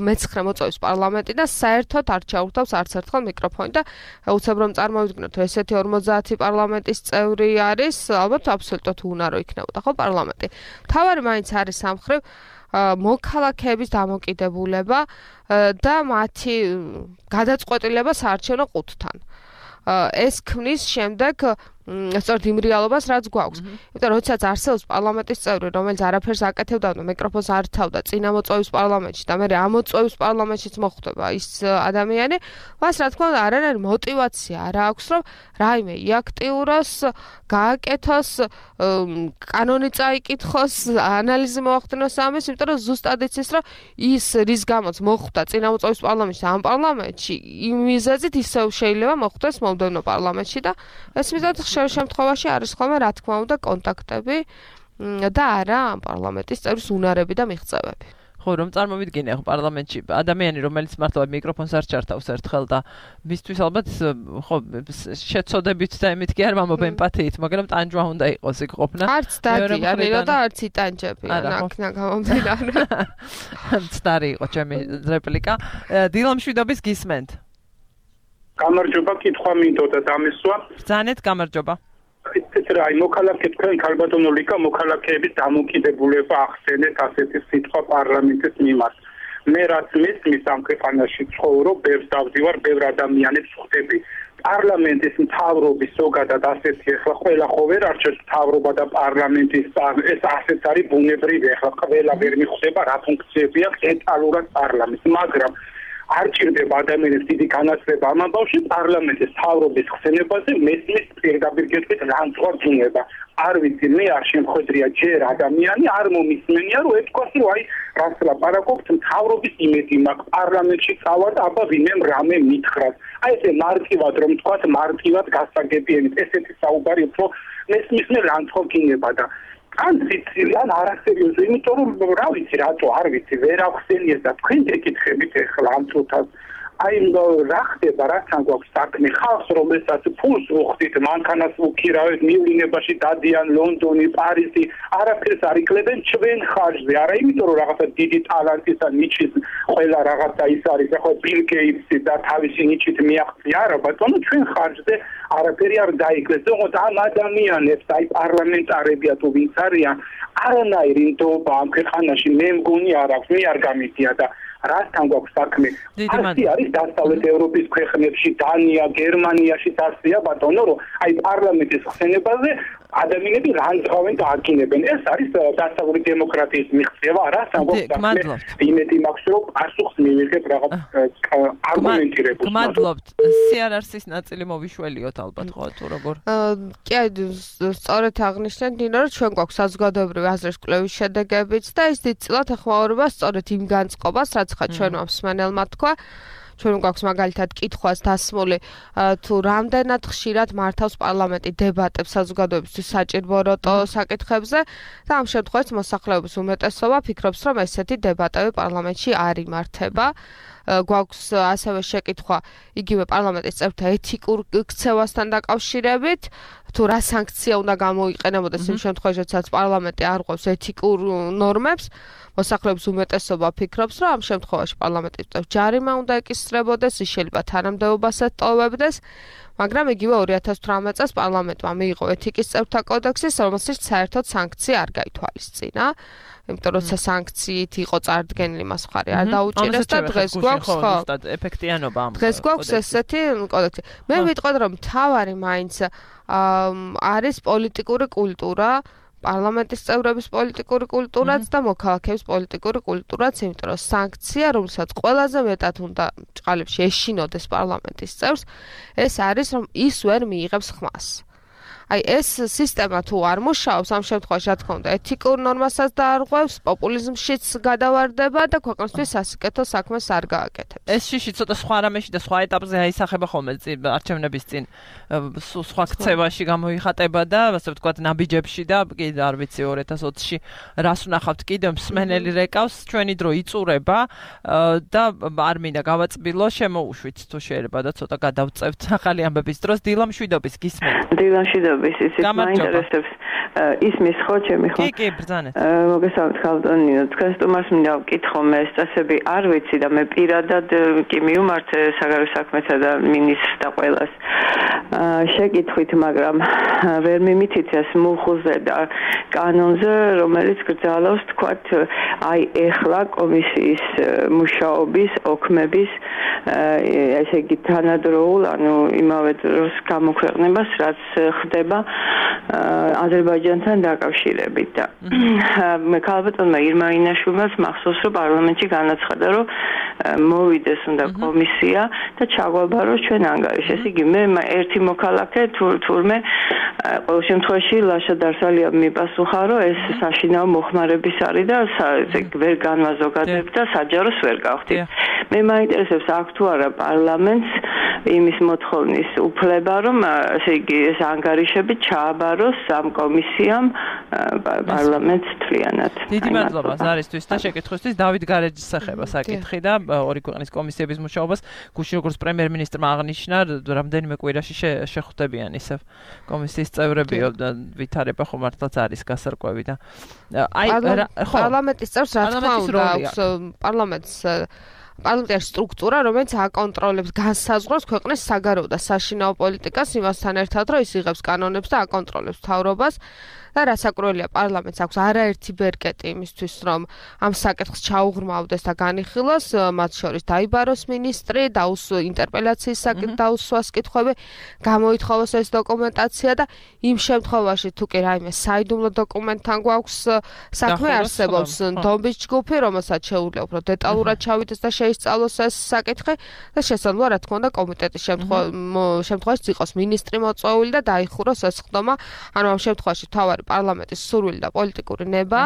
მეცხრე მოწვევის პარლამენტი და საერთოდ არ ჩაურთავს არც ერთხელ მიკროფონი და უცებ რომ წარმოვიდგინოთ, ესეთი ორმოცდაათი პარლამენტის წევრი არის, ალბათ აბსოლუტურად უნარო იქნებოდა ხო პარლამენტი. თავარი მაინც არის სამხრივ მოქალაქეების დამოკიდებულება და მათი გადაწყვეტილება საარჩევნო ყუთთან. ეს ქმნის შემდეგ სწორედ იმ რეალობას, რაც გვაქვს. იმიტომ რომ როდესაც არსებობს პარლამენტის წევრი, რომელიც არაფერს აკეთებდა და მიკროფონს არ თავდა წინამოწვევის პარლამენტში და მე ამოწვევის პარლამენტშიც მოხვდება ის ადამიანი, მას რა თქმა უნდა არანაირი мотиваცია არ აქვს, რომ რაიმე იაქტიუროს, გააკეთოს, კანონი წაიკითხოს, ანალიზი მოახდინოს ამის, იმიტომ რომ ზუსტად იცის, რომ ის რის გამოც მოხვდა წინამოწვევის პარლამენტში ამ პარლამენტში, იმ მიზეზით ისევ შეიძლება მოხვდეს მომდევნო პარლამენტში და ეს მიზეზით შემთხვევაში არის ხოლმე რა თქმა უნდა კონტაქტები და არა ამ პარლამენტის წევრის უნარები და მიღწევები. ხო, რომ წარმოვიდგინე ხო პარლამენტში ადამიანი, რომელიც მართლა მიკროფონს არ ჩართავს ერთხელ და მისთვის ალბათ ხო შეცოდებით და იმით კი არ მომობ ემპათიით, მაგრამ ტანჯვა უნდა იყოს იქ ყოფნა. არც დადიანიო და არც იტანჯები, ნაკნა გამომდინარე. მცდარი იყო ჩემი რეპლიკა. დილა მშვიდობის გისმენთ. გამარჯობა, კითხვა მინდოდა დამესვა. ბრძანეთ, გამარჯობა. ეს რა, მოქალაქე თქვენ ქალბატონო ლიკა მოქალაქეების დამოკიდებულება ახსენეთ ასეთი სიტყვა პარლამენტის მიმართ. მე რაც მესმის ამ ქვეყანაში ცხოვრობ, ბევრს დავდივარ, ბევრ ადამიანებს ხვდები. პარლამენტის მთავრობის ზოგადად ასეთი ახლა ყველა ხო ვერ არჩევს მთავრობა და პარლამენტის ეს ასეც არის ბუნებრივი, ახლა ყველა ვერ მიხვდება რა ფუნქციები აქვს დეტალურად პარლამენტს, მაგრამ არ ჭირდება ადამიანებს დიდი განათლება ამ ამბავში პარლამენტის მთავრობის ხსენებაზე მესმის პირდაპირ გეტყვით რანცვა გინება. არ ვიცი, მე არ შემხედრია ჯერ ადამიანი არ მომისმენია რომ ეთქვას რომ აი რას ლაპარაკობთ მთავრობის იმედი მაქვს პარლამენტში წავა და აბა ვინმე რამე მითხრას. აი ესე მარტივად რომ თქვათ მარტივად გასაგებიანით ესეთი საუბარი უფრო მესმის მე რანცვა გინება და ან ციცილი, ან არასერიოზი, იმიტომ რომ რა ვიცი, რატო არ ვიცი, ვერ ახსენიეს და თქვენ გეკითხებით ახლა ამ წუთას. აი რა ხდება, რასთან გვაქვს საქმე, ხალხს რომელსაც ფულს უხდით, მანქანას უქირავეთ, მივლინებაში დადიან ლონდონი, პარიზი, არაფერს არ იკლებენ ჩვენ ხარჯზე. არა იმიტომ რომ რაღაცა დიდი ტალანტის და ნიჩის ყველა რაღაცა ის არის, ახლა ბილ გეიტსი და თავისი ნიჩით მიაღწია, არა ბატონო, ჩვენ ხარჯზე არაფერი არ დაიკლეს. თუმცა ამ ადამიანებს, აი პარლამენტარებია თუ ვინც არიან, არანაირი ნდობა ამ ქვეყანაში მე მგონი არ აქვს, მე არ გამიგია და რასთან გვაქვს საქმე? ასი არის დასავლეთ ევროპის ქვეყნებში, დანია, გერმანიაშიც ასია ბატონო, რომ აი პარლამენტის ხსენებაზე ადამიანები რანძღავენ და აკინებენ. ეს არის დასავლური დემოკრატიის მიღწევა, რასთან გვაქვს საქმე? იმედი მაქვს, რომ პასუხს მივიღებ რაღაც არგუმენტირებულ. გმადლობთ. სიარარსის ნაწილი მოვიშველიოთ ალბათ ხო თუ როგორ? კი, სწორედ აღნიშნეთ დინო, რომ ჩვენ გვაქვს საზოგადოებრივი აზრის კვლევის შედეგებიც და ეს დიდწილად ეხმაურება სწორედ იმ განწყობას, რაც ხა ჩვენმა მსმენელმა თქვა. ჩვენ გვაქვს მაგალითად კითხვას დასმული თუ რამდენად ხშირად მართავს პარლამენტი დებატებს საზოგადოებისთვის საჭიროებო საკითხებზე და ამ შემთხვევაში მოსახლეობის უმეტესობა ფიქრობს, რომ ესეთი დებატები პარლამენტში არ იმართება. გვაქვს ასევე შეკითხვა იგივე პარლამენტის წევრთა ეთიკურ ქცევასთან დაკავშირებით, თუ რა სანქცია უნდა გამოიყენებოდეს იმ შემთხვევაში, როდესაც პარლამენტი არ ყვევს ეთიკურ ნორმებს. მოსახლეობის უმეტესობა ფიქრობს, რომ ამ შემთხვევაში პარლამენტის წევრს ჯარიმა უნდა ეკისრებოდეს, ის შეიძლება თანამდებობასაც ტოვებდეს, მაგრამ იგივე ორი ათას თვრამეტ წელს პარლამენტმა მიიღო ეთიკის წევრთა კოდექსი, რომელშიც საერთოდ სანქცია არ გაითვალისწინა. იმიტომ რომ სანქციით იყო წარდგენილი მას მხარი არ დაუჭირეს და დღეს გვაქვს ხო ეფექტიანობა ამ დღეს გვაქვს ესეთი კოდექსი. მე ვიტყოდ რომ მთავარი მაინც არის პოლიტიკური კულტურა, პარლამენტის წევრების პოლიტიკური კულტურაც და მოქალაქეების პოლიტიკური კულტურაც, იმიტომ რომ სანქცია, რომელსაც ყველაზე მეტად უნდა ჭყალებში ეშინოდეს პარლამენტის წევრს, ეს არის რომ ის ვერ მიიღებს ხმას. აი ეს სისტემა თუ არ მუშაობს, ამ შემთხვევაში რა თქმა უნდა ეთიკურ ნორმასაც დაარღვევს, პოპულიზმშიც გადავარდება და ქვეყნისთვის სასიკეთო საქმეს არ გააკეთებს. ეს შიში ცოტა სხვა რამეში და სხვა ეტაპზე აისახება ხოლმე არჩევნების წინ სხვა ქცევაში გამოიხატება და ასე ვთქვათ ნაბიჯებში და კი არ ვიცი ორი ათას ოცში რას ვნახავთ კიდევ მსმენელი რეკავს, ჩვენი დრო იწურება და არ მინდა გავაწბილო, შემოუშვით თუ შეიძლება და ცოტა გადავწევთ ახალი ამბების დროს. დილა მშვიდობის გისმენთ. დილა მშვიდობის, ისიც მაინტერესებს ისმის ხო ჩემი ხო? კი, კი, ბრძანეთ. მოგესალმებით ხალხონინო, თქვენ სტუმარს მინდა ვკითხო, მე ეს წესები არ ვიცი და მე პირადად კი მივმართ საგარეო საქმეთა და მინისტრს და ყველას. შეკითხვით, მაგრამ ვერ მიმითითეს მუხლზე და კანონზე, რომელიც გრძელავს, თქვათ, აი ეხლა კომისიის მუშაობის, ოქმების, ესე იგი თანადროულ, ანუ იმავე დროს გამოქვეყნებას, რაც ხდება აზერბაიჯანთან დაკავშირებით და მე ქალბატონმა ირმა ინაშვილმაც მახსოვს, რომ პარლამენტში განაცხადა, რომ მოვიდეს უნდა კომისია და ჩაგვაბაროს ჩვენ ანგარიში. ესე იგი მე ერთი მოქალაქე თურმე ყოველ შემთხვევაში ლაშა დარსალიამ მიპასუხა, რომ ეს საშინაო მოხმარების არის და ვერ განვაზოგადებ და საჯაროს ვერ გავხდით. მე მაინტერესებს აქ თუ არა პარლამენტს იმის მოთხოვნის უფლება, რომ ესე იგი ეს ანგარიშები ჩააბაროს ამ კომისიამ პარლამენტს თლიანად. დიდი მადლობა ზარისთვის და შეკითხვისთვის. დავით გარეჯის სახება საკითხი და ორი ქვეყნის კომისიების მუშაობას გუშინ როგორც პრემიერ-მინისტრმა აღნიშნა, რამდენიმე კვირაში შეხვდებიან ისევ კომისიის წევრებიო და ვითარება ხომ მართლაც არის გასარკვევი და აი პარლამენტის წევრს რა თქმა უნდა აქვს პარლამენტს პარლამენტის სტრუქტურა, რომელიც აკონტროლებს განსაზღვრავს ქვეყნის საგარეო და საშინაო პოლიტიკას იმასთან ერთად, რომ ის იღებს კანონებს და აკონტროლებს მთავრობას. და რასაკურველია პარლამენტს აქვს არაერთი ბერკეტი იმისთვის, რომ ამ საკითხს ჩაუღრმავდეს და განიხილოს, მათ შორის დაიბაროს მინისტრი, დაუს ინტერპელაციის საკითხ დაუსვას კითხვები, გამოითხოვოს ეს დოკუმენტაცია და იმ შემთხვევაში თუ კი რაიმე საიდუმლო დოკუმენტთან გვაქვს საქმე არსებობს დომბის ჯგუფი, რომელსაც შეუძლია უფრო დეტალურად ჩავიდეს და შეისწავლოს ეს საკითხი და შესაძლოა რა თქმა უნდა კომიტეტის შემთხვევაში იყოს მინისტრი მოწვეული და დაიხუროს ეს ხდომა, ანუ ამ შემთხვევაში თავარი პარლამენტის სურვილი და პოლიტიკური ნება,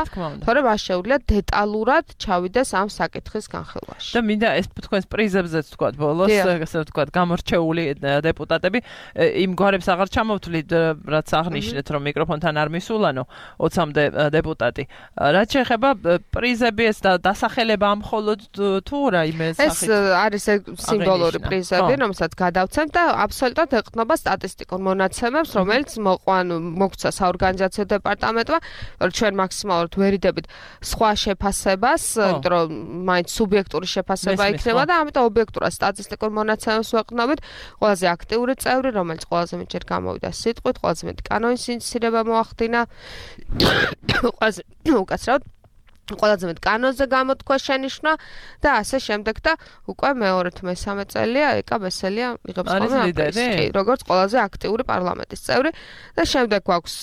თორემ მას შეუძლია დეტალურად ჩავიდეს ამ საკითხის განხილვაში. და მინდა ეს თქვენს პრიზებზეც თქვა ბოლოს, ასე ვთქვათ, გამორჩეული დეპუტატები იმ გვარებს აღარ ჩამოვთვლით, რაც აღნიშნეთ, რომ მიკროფონთან არ მისულანო ოცამდე დეპუტატი. რაც შეეხება პრიზები ეს დასახელება ამ მხოლოდ თუ რაიმე ეს სახით არის სიმბოლური პრიზები, რომელსაც გადავცემთ და აბსოლუტურად ეყრდნობა სტატისტიკურ მონაცემებს, რომელიც მოყვან მოგცა საორგანიზაციო დეპარტამენტმა, რომ ჩვენ მაქსიმალურად ვერიდებით სხვა შეფასებას, იმიტომ რომ მაინც სუბიექტური შეფასება იქნება და ამიტომ ობიექტურად სტატისტიკურ მონაცემებს ვეყრდნობით. ყველაზე აქტიური წევრი, რომელიც ყველაზე მეტჯერ გამოვიდა სიტყვით, ყველაზე მეტი კანონის ინიცირება მოახდინა, ყველაზე უკაცრავად ყველაზე მეტ კანონზე გამოთქვა შენიშვნა და ასე შემდეგ და უკვე მეორე თუ მესამე წელია ეკა ბესელია იღებს ხოლმე პრიზი, როგორც ყველაზე აქტიური პარლამენტის წევრი და შემდეგ გვაქვს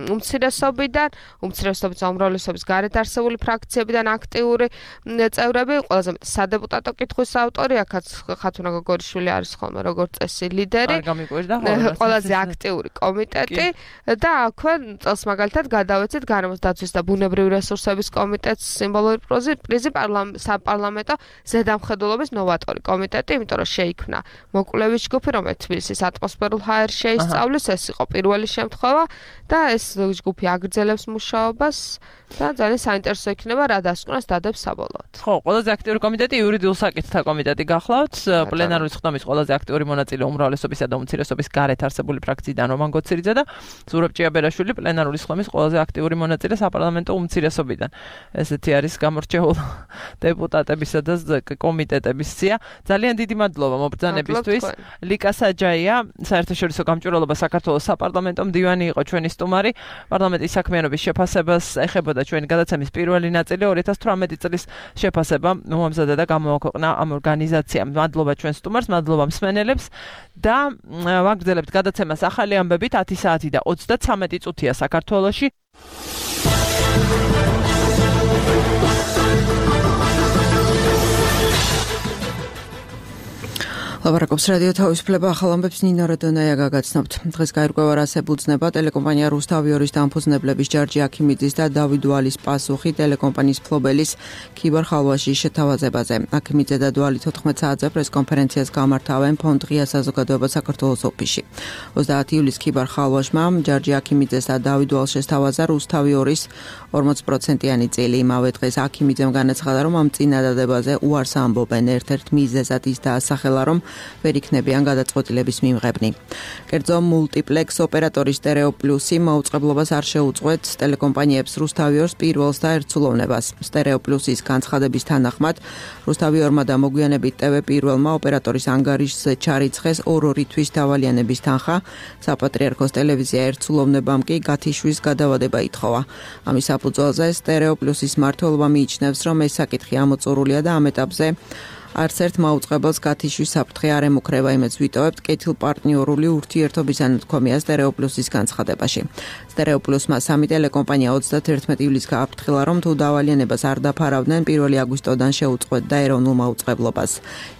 უმცირესობიდან, უმცირესობის უმრავლესობის გარეთ არსებული ფრაქციებიდან აქტიური წევრები, ყველაზე მეტ სადეპუტატო კითხვის ავტორი, აქაც ხათუნა გოგორიშვილი არის ხოლმე როგორც წესი ლიდერი, ყველაზე აქტიური კომიტეტი და აქვე წელს მაგალითად გადავეცით გარემოს დაცვის და ბუნებრივი რესურსების კომიტეტი სიმბოლური პრიზი საპარლამენტო ზედამხედველობის ნოვატორი კომიტეტი, იმიტომ რომ შეიქმნა მოკვლევის ჯგუფი, რომელიც თბილისის ატმოსფერულ ჰაერს შეისწავლის, ეს იყო პირველი შემთხვევა და ეს ჯგუფი აგრძელებს მუშაობას და ძალიან საინტერესო იქნება რა დასკვნას დადებს საბოლოოდ. ხო, ყველაზე აქტიური კომიტეტი იურიდიულ საკითხთა კომიტეტი გახლავთ, პლენარული ხდომის ყველაზე აქტიური მონაწილე უმრავლესობისა და უმცირესობის გარეთ არსებული ფრაქციიდან რომან გოცირიძე და ზურაბ ჭიაბერაშვილი პლენარული ხდომის ყველაზე აქტიური მონაწილე საპარლამენტო უმცირესობიდან. ესეთი არის გამორჩეული დეპუტატებისა და კომიტეტების სია. ძალიან დიდი მადლობა მობრძანებისთვის. ლიკა საჯაია, საერთაშორისო გამჭვირვალობა საქართველოს საპარლამენტო მდივანი იყო ჩვენი სტუმარი. პარლამენტის საქმიანობის შეფასებას ეხებოდა ჩვენი გადაცემის პირველი ნაწილი ორი ათას თვრამეტი წლის შეფასება მომამზადა და გამოაქვეყნა ამ ორგანიზაციამ. მადლობა ჩვენ სტუმარს, მადლობა მსმენელებს და ვაგრძელებთ გადაცემას ახალი ამბებით ათი საათი და ოცდათვრამეტი წუთია საქართველოში. ლაპარაკობს რადიო თავისუფლება ახალ ამბებს ნინო როდონაია გაგაცნობთ. დღეს გაირკვევა რას ებუძნება ტელეკომპანია რუსთავიორის დამფუძნებლების ჯარჯი აქიმიძის და დავით დვალის პასუხი ტელეკომპანიის ფლობელის ქიბარ ხალვაშის შეთავაზებაზე. აქიმიძე და დვალი თოთხმეტ საათზე პრესკონფერენციას გამართავენ ფონდ ღია საზოგადოება საქართველოს ოფისში. ოცდაათი ივლისს ქიბარ ხალვაშმა ჯარჯი აქიმიძეს და დავით დვალს შესთავაზა რუსთავიორის ორმოც პროცენტიანი წილი. იმავე დღეს აქიმიძემ განაცხადა, რომ ამ წინადადებაზე უარს ამბობენ. ერთ-ერთ მიზეზად ის დაასახელა, რომ ვერ იქნებიან გადაწყვეტილების მიმღებნი. კერძო მულტიპლექს ოპერატორი სტერეო პლუსი მაუწყებლობას არ შეუწყვეტს ტელეკომპანიებს რუსთავიორს პირველს და ერთსულოვნებას. სტერეო პლუსის განცხადების თანახმად რუსთავიორმა და მოგვიანებით ტევ პირველმა ოპერატორის ანგარიშზე ჩარიცხეს ორ-ორი თვის დავალიანების თანხა, საპატრიარქოს ტელევიზია ერთსულოვნებამ კი გათიშვის გადავადება ითხოვა. ამის საფუძველზე სტერეო პლუსის მმართველობა მიიჩნევს, რომ ეს საკითხი ამოწურულია და ამ ეტაპზე არც ერთ მაუწყებელს გათიშვის საფრთხე არ ემუქრება, იმედს ვიტოვებთ კეთილპარტნიორული ურთიერთობის ანათქვამია სტერეო პლუსის განცხადებაში. სტერეო პლუსმა სამი ტელეკომპანია ოცდაათი ივლისს გააფრთხილა, რომ თუ დავალიანებას არ დაფარავდნენ, პირველი აგვისტოდან შეუწყვეტდა ეროვნულ მაუწყებლობას.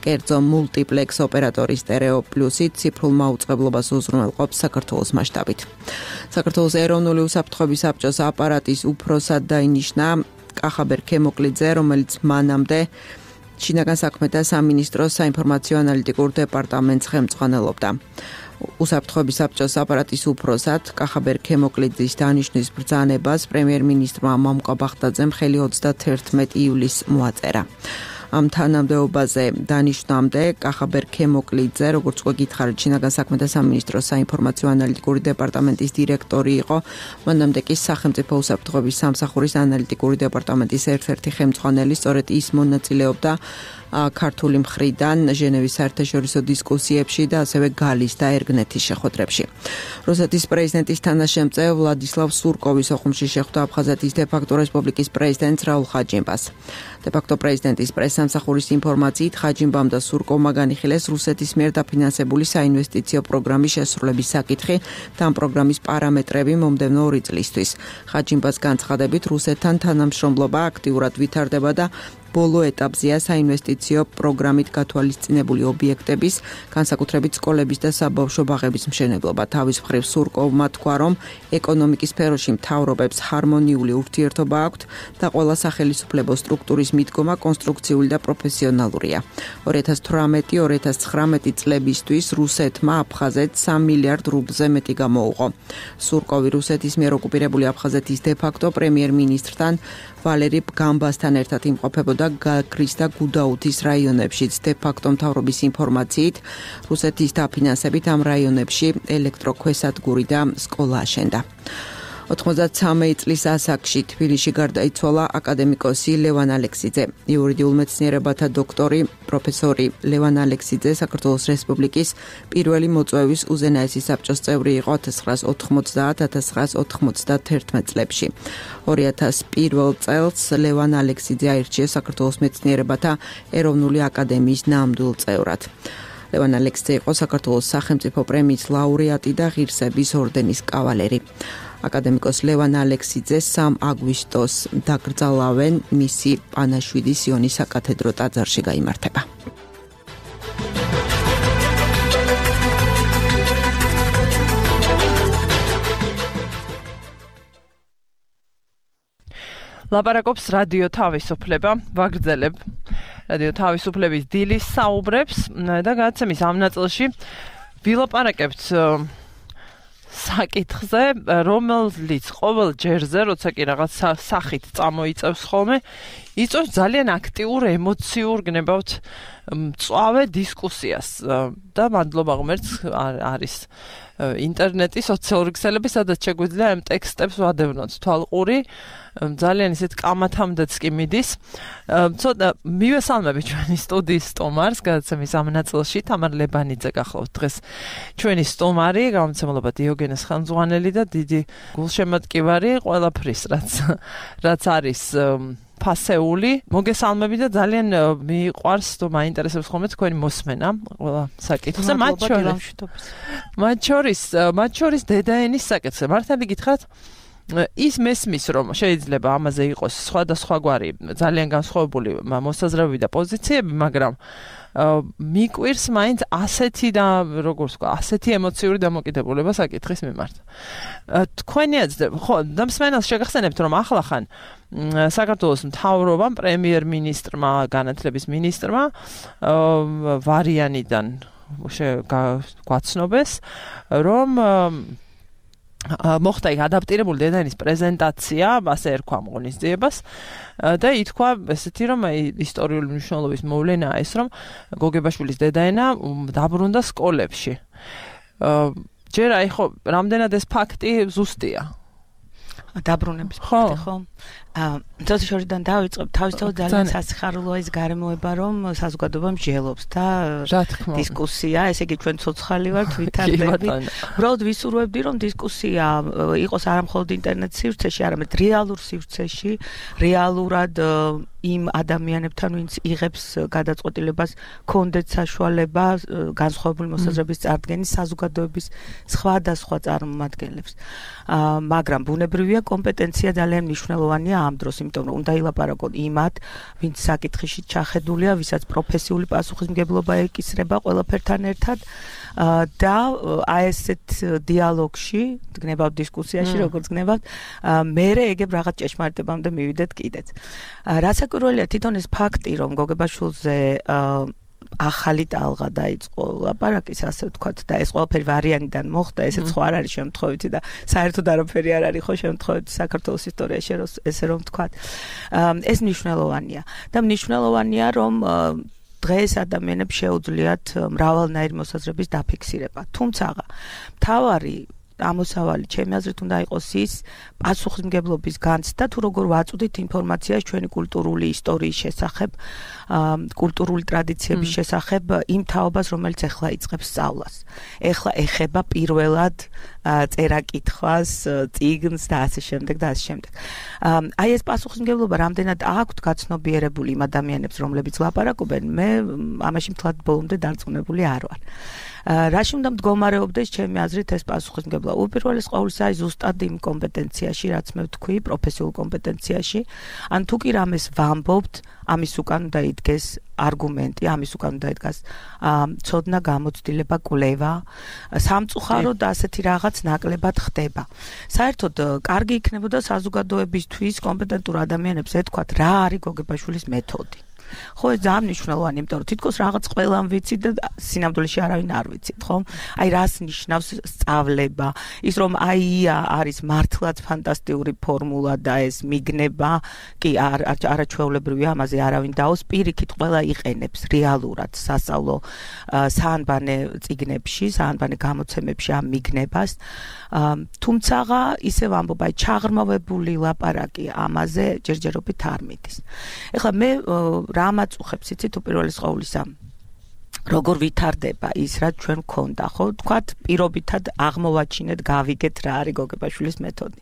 კერძო მულტიპლექს ოპერატორი სტერეო პლუსი ციფრულ მაუწყებლობას უზრუნველყოფს საქართველოს მასშტაბით. საქართველოს ეროვნული უსაფრთხოების საბჭოს აპარატის უფროსად დაინიშნა კახაბერ ქემოკლიძე, რომელიც მანამდე შინაგან საქმეთა სამინისტროს საინფორმაციო ანალიტიკურ დეპარტამენტს ხელმძღვანელობდა. უსაფრთხოების საბჭოს აპარატის უფროსად კახაბერ ქემოკლიძის დანიშნვის ბრძანებას პრემიერ-მინისტრმა მამუკა ბახტაძემ ხელი ოცდაათი ივლისს მოაწერა. ამ თანამდებობაზე დანიშნამდე კახაბერ ქემოკლიძე, როგორც უკვე გითხარით, შინაგან საქმეთა სამინისტროს საინფორმაციო ანალიტიკური დეპარტამენტის დირექტორი იყო, მანამდე კი სახელმწიფო უსაფრთხოების სამსახურის ანალიტიკური დეპარტამენტის ერთ-ერთი ხელმძღვანელი, სწორედ ის მონაწილეობდა ქართული მხრიდან ჟენევის საერთაშორისო დისკუსიებში და ასევე გალის და ერგნეთის შეხვედრებში. რუსეთის პრეზიდენტის თანაშემწე ვლადისლავ სურკოვის ოხუმში შეხვდა აფხაზეთის დე-ფაქტო რესპუბლიკის პრეზიდენტს რაულ ხაჯიმბას. დე-ფაქტო პრეზიდენტის პრესსამსახურის ინფორმაციით ხაჯიმბამ და სურკოვმა განიხილეს რუსეთის მიერ დაფინანსებული საინვესტიციო პროგრამის შესრულების საკითხი და ამ პროგრამის პარამეტრები მომდევნო ორი წლისთვის. ხაჯიმბას განცხადებით, რუსეთთან თანამშრომლობა აქტიურად ვითარდება და ბოლო ეტაპზეა საინვესტიციო პროგრამით გათვალისწინებული ობიექტების, განსაკუთრებით სკოლების და საბავშვო ბაღების მშენებლობა. თავის მხრივ სურკოვმა თქვა, რომ ეკონომიკის სფეროში მთავრობებს ჰარმონიული ურთიერთობა აქვთ და ყველა სახელისუფლებო სტრუქტურის მიდგომა კონსტრუქციული და პროფესიონალურია. ორი ათას თვრამეტი ორი ათას ცხრამეტი წლებისთვის რუსეთმა აფხაზეთს სამ მილიარდ რუბლზე მეტი გამოუყო. სურკოვი რუსეთის მიერ ოკუპირებული აფხაზეთის დე-ფაქტო პრემიერ-მინისტრთან ვალერი გამბასთან ერთად იმყოფებოდა გაგრის და გუდაუთის რაიონებშიც. დე-ფაქტო მთავრობის ინფორმაციით, რუსეთის დაფინანსებით ამ რაიონებში ელექტროქვესადგური და სკოლა აშენდა. ოთხმოცდათსამი წლის ასაკში თბილისში გარდაიცვალა აკადემიკოსი ლევან ალექსიძე. იურიდიულ მეცნიერებათა დოქტორი, პროფესორი ლევან ალექსიძე საქართველოს რესპუბლიკის პირველი მოწვევის უზენაესი საბჭოს წევრი იყო ათას ცხრაას ოთხმოცდაათ - ათას ცხრაას ოთხმოცდათერთმეტ წლებში. ორი ათას პირველ წელს ლევან ალექსიძე აირჩიეს საქართველოს მეცნიერებათა ეროვნული აკადემიის ნამდვილ წევრად. ლევან ალექსიძე იყო საქართველოს სახელმწიფო პრემიის ლაურეატი და ღირსების ორდენის კავალერი. აკადემიკოს ლევან ალექსიძე სამ აგვისტოს დაკრძალავენ, მისი პანაშვიდი სიონის საკათედრო ტაძარში გაიმართება. ლაპარაკობს რადიო თავისუფლება, ვაგრძელებ რადიო თავისუფლების დილის საუბრებს და გადაცემის ამ ნაწილში ვილაპარაკებთ საკითხზე, რომელიც ყოველ ჯერზე, როცა კი რაღაც სახით წამოიწევს ხოლმე, იწვევს ძალიან აქტიურ ემოციურ გნებავთ მწვავე დისკუსიას და მადლობა ღმერთს არის ინტერნეტი, სოციალური ქსელები, სადაც შეგვიძლია ამ ტექსტებს ვადევნოთ თვალყური, ძალიან ისეთ კამათამდეც კი მიდის. ცოტა მივესალმები ჩვენი სტუდიის სტუმარს, გადაცემის ამ ნაწილში თამარ ლებანიძე გახლავთ დღეს ჩვენი სტუმარი, გამომცემლობა დიოგენეს ხელმძღვანელი და დიდი გულშემატკივარი ყველაფრის, რაც რაც არის ფასეული. მოგესალმები და ძალიან მიყვარს თუ მაინტერესებს ხოლმე თქვენი მოსმენა ყველა საკითხზე, მათ შორის. მათ შორის, მათ შორის დედაენის საკითხზე. მართალი გითხრათ, ის მესმის, რომ შეიძლება ამაზე იყოს სხვადასხვაგვარი ძალიან განსხვავებული მოსაზრებები და პოზიციები, მაგრამ მიკვირს მაინც ასეთი და როგორც ვთქვა, ასეთი ემოციური დამოკიდებულება საკითხის მიმართ. თქვენი აზრით, ხო, და მსმენელს შეგახსენებთ, რომ ახლახან საქართველოს მთავრობამ, პრემიერ-მინისტრმა, განათლების მინისტრმა ვარიანიდან გვაცნობეს, რომ მოხდა იქ ადაპტირებული დედაენის პრეზენტაცია, ასე ერქვა ამ ღონისძიებას და ითქვა ესეთი რომ ისტორიული მნიშვნელობის მოვლენაა ეს რომ გოგებაშვილის დედაენა დაბრუნდა სკოლებში. ჯერ აი ხო რამდენად ეს ფაქტი ზუსტია? დაბრუნების ფაქტი ხო? აა თორე შორიდან დავიწყებ თავისთავად ძალიან სასიხარულოა ის გარემოება რომ საზოგადოება მსჯელობს და დისკუსია, ესე იგი ჩვენ ცოცხალი ვართ ვითარდები. უბრალოდ ვისურვებდი რომ დისკუსია იყოს არა მხოლოდ ინტერნეტ სივრცეში, არამედ რეალურ სივრცეში, რეალურად იმ ადამიანებთან, ვინც იღებს გადაწყვეტილებას, კონდეთ საშუალება განსხვავებული მოსაზრების წარდგენის საზოგადოების სხვადასხვა წარმომადგენლებს. აა მაგრამ ბუნებრივია კომპეტენცია ძალიან მნიშვნელოვანია ამ დროს, იმიტომ რომ უნდა ილაპარაკონ იმათ, ვინც საკითხში ჩახედულია, ვისაც პროფესიული პასუხისმგებლობა ეკისრება ყველაფერთან ერთად და აი ესეთ დიალოგში, გნებავთ დისკუსიაში, როგორც გნებავთ, მერე ეგებ რაღაც ჭეშმარიტებამდე მივიდეთ კიდეც. რასაკვირველია თვითონ ეს ფაქტი, რომ გოგებაშვილზე ახალი ტალღა დაიწყო ლაპარაკის, ასე ვთქვათ, და ეს ყველაფერი ვარიანიდან მოხდა, ესეც ხო არ არის შემთხვევითი და საერთოდ არაფერი არ არის ხო შემთხვევითი საქართველოს ისტორიაში, ესე რომ ვთქვათ. ეს მნიშვნელოვანია და მნიშვნელოვანია, რომ დღეს ადამიანებს შეუძლიათ მრავალნაირი მოსაზრების დაფიქსირება. თუმცა მთავარი ამოსავალი ჩემი აზრით უნდა იყოს ის პასუხისმგებლობის განცდა, თუ როგორ ვაწვდით ინფორმაციას ჩვენი კულტურული ისტორიის შესახებ, კულტურული ტრადიციების შესახებ იმ თაობას, რომელიც ეხლა იწყებს სწავლას. ეხლა ეხება პირველად წერა-კითხვას, წიგნს და ასე შემდეგ და ასე შემდეგ. აი ეს პასუხისმგებლობა რამდენად აქვთ გაცნობიერებული იმ ადამიანებს, რომლებიც ლაპარაკობენ, მე ამაში მთლად ბოლომდე დარწმუნებული არ ვარ. რაში უნდა მდგომარეობდეს ჩემი აზრით ეს პასუხისმგებლობა? უპირველეს ყოვლისა აი ზუსტად იმ კომპეტენციაში, რაც მე ვთქვი, პროფესიულ კომპეტენციაში, ან თუ კი რამეს ვამბობთ, ამის უკან უნდა იდგეს არგუმენტი, ამის უკან უნდა იდგას ცოდნა, გამოცდილება, კვლევა, სამწუხაროდ ასეთი რაღაც ნაკლებად ხდება. საერთოდ კარგი იქნებოდა საზოგადოებისთვის კომპეტენტურ ადამიანებს ეთქვათ, რა არის გოგებაშვილის მეთოდი. ხო, ეს ძალიან მნიშვნელოვანია, იმიტომ რომ თითქოს რაღაც ყველამ ვიცით და სინამდვილეში არავინ არ ვიცით, ხო? აი რას ნიშნავს სწავლება, ის რომ აი არის მართლაც ფანტასტიკური ფორმულა და ეს მიგნება, კი არ არაჩვეულებრივია, ამაზე არავინ დაოს, პირიქით ყველა იყენებს რეალურად სასწავლო საანბანე წიგნებში, საანბანე გამოცემებში ამ მიგნებას. თუმცა ისე ვამბობ, აი ჩაღრმავებული ლაპარაკი ამაზე ჯერჯერობით არ მიდის. ეხლა მე რა მაწუხებს იცით უპირველეს ყოვლისა როგორ ვითარდება ის რაც ჩვენ გქონდა ხო თქვათ პირობითად აღმოვაჩინეთ გავიგეთ რა არის გოგებაშვილის მეთოდი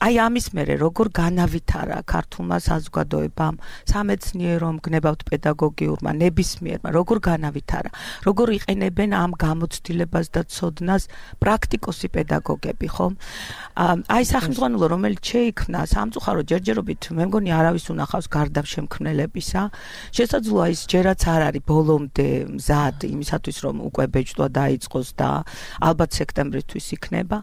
აი ამის მერე როგორ განავითარა ქართულმა საზოგადოებამ სამეცნიერომ გნებავთ პედაგოგიურმა ნებისმიერმა როგორ განავითარა როგორ იყენებენ ამ გამოცდილებას და ცოდნას პრაქტიკოსი პედაგოგები ხო აი სახელმძღვანელო რომელიც შეიქმნა სამწუხარო ჯერჯერობით მე მგონი არავის უნახავს გარდა შემქმნელებისა შესაძლოა ის ჯერაც არ არის ბოლომდე მზად იმისათვის რომ უკვე ბეჭდვა დაიწყოს და ალბათ სექტემბრისთვის იქნება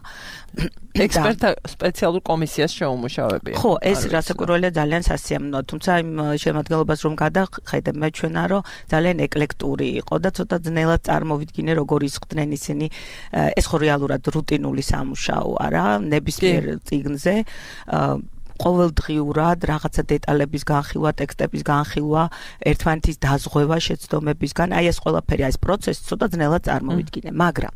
ექსპერტთა სპეციალურ კომისიას შეუმუშავებია. ხო, ეს რასაკვირველია ძალიან სასიამოვნოა, თუმცა იმ შემადგენლობას რომ გადახედებ მე ჩვენა რომ ძალიან ეკლექტური იყო და ცოტა ძნელად წარმოვიდგინე როგორ ისხდნენ ისინი ეს ხო რეალურად რუტინული სამუშაო არა, ნებისმიერ წიგნზე ყოველდღიურად რაღაცა დეტალების განხილვა, ტექსტების განხილვა, ერთმანეთის დაზღვევა შეცდომებისგან, აი ეს ყველაფერი, აი ეს პროცესი ცოტა ძნელად წარმოვიდგინე, მაგრამ